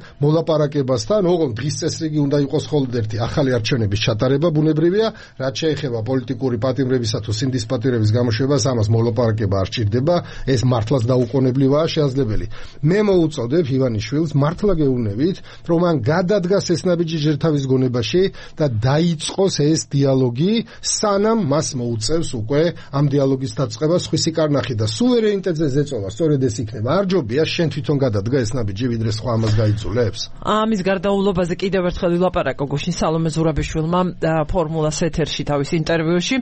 [SPEAKER 3] ოღონდ დღის წესრიგი უნდა იყოს მხოლოდ ერთი ახალი არჩევნების ჩატარება, ბუნებრივია, რაც შეეხება პოლიტიკური პატიმრებისა თუ სინდის პატიმრების გამოშვებას, ამას მოლაპარაკება არ სჭირდება, ეს მართლაც დაუყოვნებლივაა შესაძლებელი. მე მოუწოდებ ივანიშვილს მართლა გეუბნებით, რომ მან გადადგას ეს ნაბიჯი ჯერთავის გონებაში და დაიწყოს ეს დიალოგი, სანამ მას მოუწევს უკვე ამ დიალოგის დაწყება სხვისი კარნახი და სუვერენიტეტზე ზეწოლა, სწორედ ეს იქნება. არ ჯობია შენ თვითონ გადადგა ეს ნაბიჯი, ვიდრე სხვა ამას გაიძულებს.
[SPEAKER 1] ამის გარდაულობაზე კიდევ ერთხელ ვილაპარაკო გუშინ სალომე ზურაბიშვილმა ფორმულას ეთერში თავის ინტერვიუში.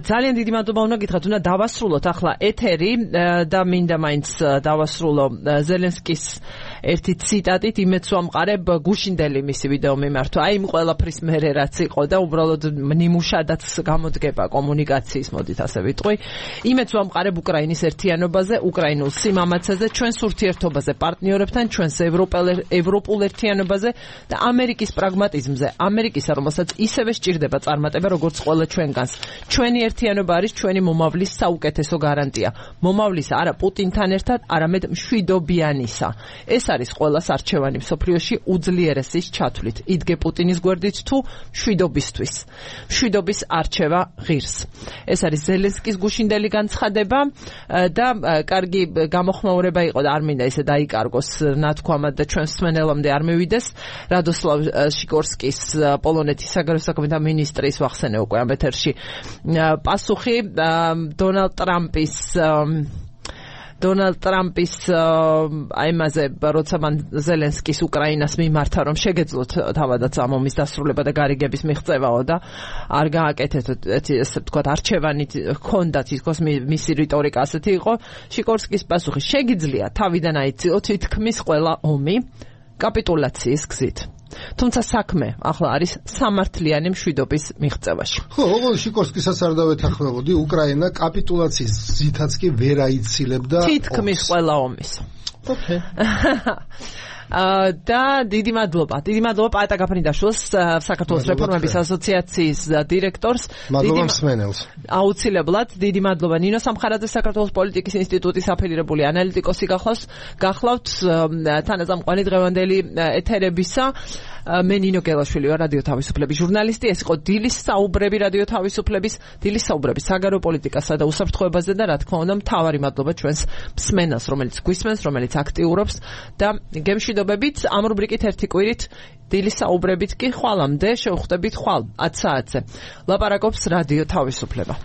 [SPEAKER 1] ძალიან დიდი მადლობა უნდა გითხრათ, უნდა დავასრულოთ ახლა ეთერი და მინდა მაინც დავასრულო ზელენსკის ერთი ციტატით, იმეც ვამყარებ გუშინდელი მისი ვიდეო მიმართვა. აი იმ ყველაფრის მერე რაც იყო და უბრალოდ ნიმუშადაც გამოდგება კომუნიკაციის, მოდით ასე ვიტყვი. იმეც ვამყარებ უკრაინის ერთიანობაზე, უკრაინულ სიმამაცაზე, ჩვენს ურთიერთობაზე პარტნიორებთან, ჩვენს ევროპულ ერთიანობაზე და ამერიკის პრაგმატიზმზე. ამერიკისა, რომელსაც ისევე სჭირდება წარმატება, როგორც ყველა ჩვენგანს. ჩვენი ერთიანობა არის ჩვენი მომავლის საუკეთესო გარანტია. მომავლისა არა პუტინთან ერთად, არამედ მშვიდობიანისა. ეს არის ყველას არჩევანი მსოფლიოში უძლიერესის ჩათვლით. იდგე პუტინის გვერდით თუ მშვიდობისთვის. მშვიდობის არჩევა ღირს. ეს არის ზელენსკის გუშინდელი განცხადება და კარგი გამოხმაურება იყო და არ მინდა ისე დაიკარგოს ნათქვამად და ჩვენს მსმენელამდე არ მივიდეს. რადოსლავ შიკორსკის პოლონეთის საგარეო საქმეთა მინისტრის ვახსენე უკვე ამ ეთერში პასუხი დონალდ ტრამპის აიმაზე, როცა მან ზელენსკის უკრაინას მიმართა, რომ შეგეძლოთ თავადაც ამ ომის დასრულება და გარიგების მიღწევაო და არ გააკეთეთ, ესე ვთქვათ, არჩევანი ჰქონდათ, თითქოს მისი რიტორიკა ასეთი იყო. შიკორსკის პასუხი: შეგიძლია თავიდან აიციოთ თითქმის ყველა ომი კაპიტულაციის გზით. თუმცა საქმე ახლა არის სამართლიანი მშვიდობის მიღწევაში.
[SPEAKER 3] ხო, ოღონდ შიკორსკისაც არ დავეთანხმებოდი, უკრაინა კაპიტულაციის გზითაც კი ვერ აიცილებდა
[SPEAKER 1] თითქმის ყველა ომის.
[SPEAKER 3] ოკეი.
[SPEAKER 1] და დიდი მადლობა პაეტა გაფრინდაშვილს, საქართველოს რეფორმების ასოციაციის დირექტორს.
[SPEAKER 3] მადლობა მსმენელს.
[SPEAKER 1] აუცილებლად დიდი მადლობა ნინო სამხარაძე, საქართველოს პოლიტიკის ინსტიტუტის აფილირებული ანალიტიკოსი გახლავთ თანაზამყვანი დღევანდელი ეთერებისა. მე ნინო გელაშვილი ვარ, რადიო თავისუფლების ჟურნალისტი. ეს იყო დილის საუბრები რადიო თავისუფლების, საგარეო პოლიტიკასა და უსაფრთხოებაზე და რა თქმა უნდა მთავარი მადლობა ჩვენს მსმენელს, რომელიც გვისმენს, რომელიც აქტიურობს და გემშვიდობებით ამ რუბრიკით ერთი კვირით დილის საუბრებით კი ხვალამდე შევხვდებით ხვალ 10 საათზე. ლაპარაკობს რადიო თავისუფლება.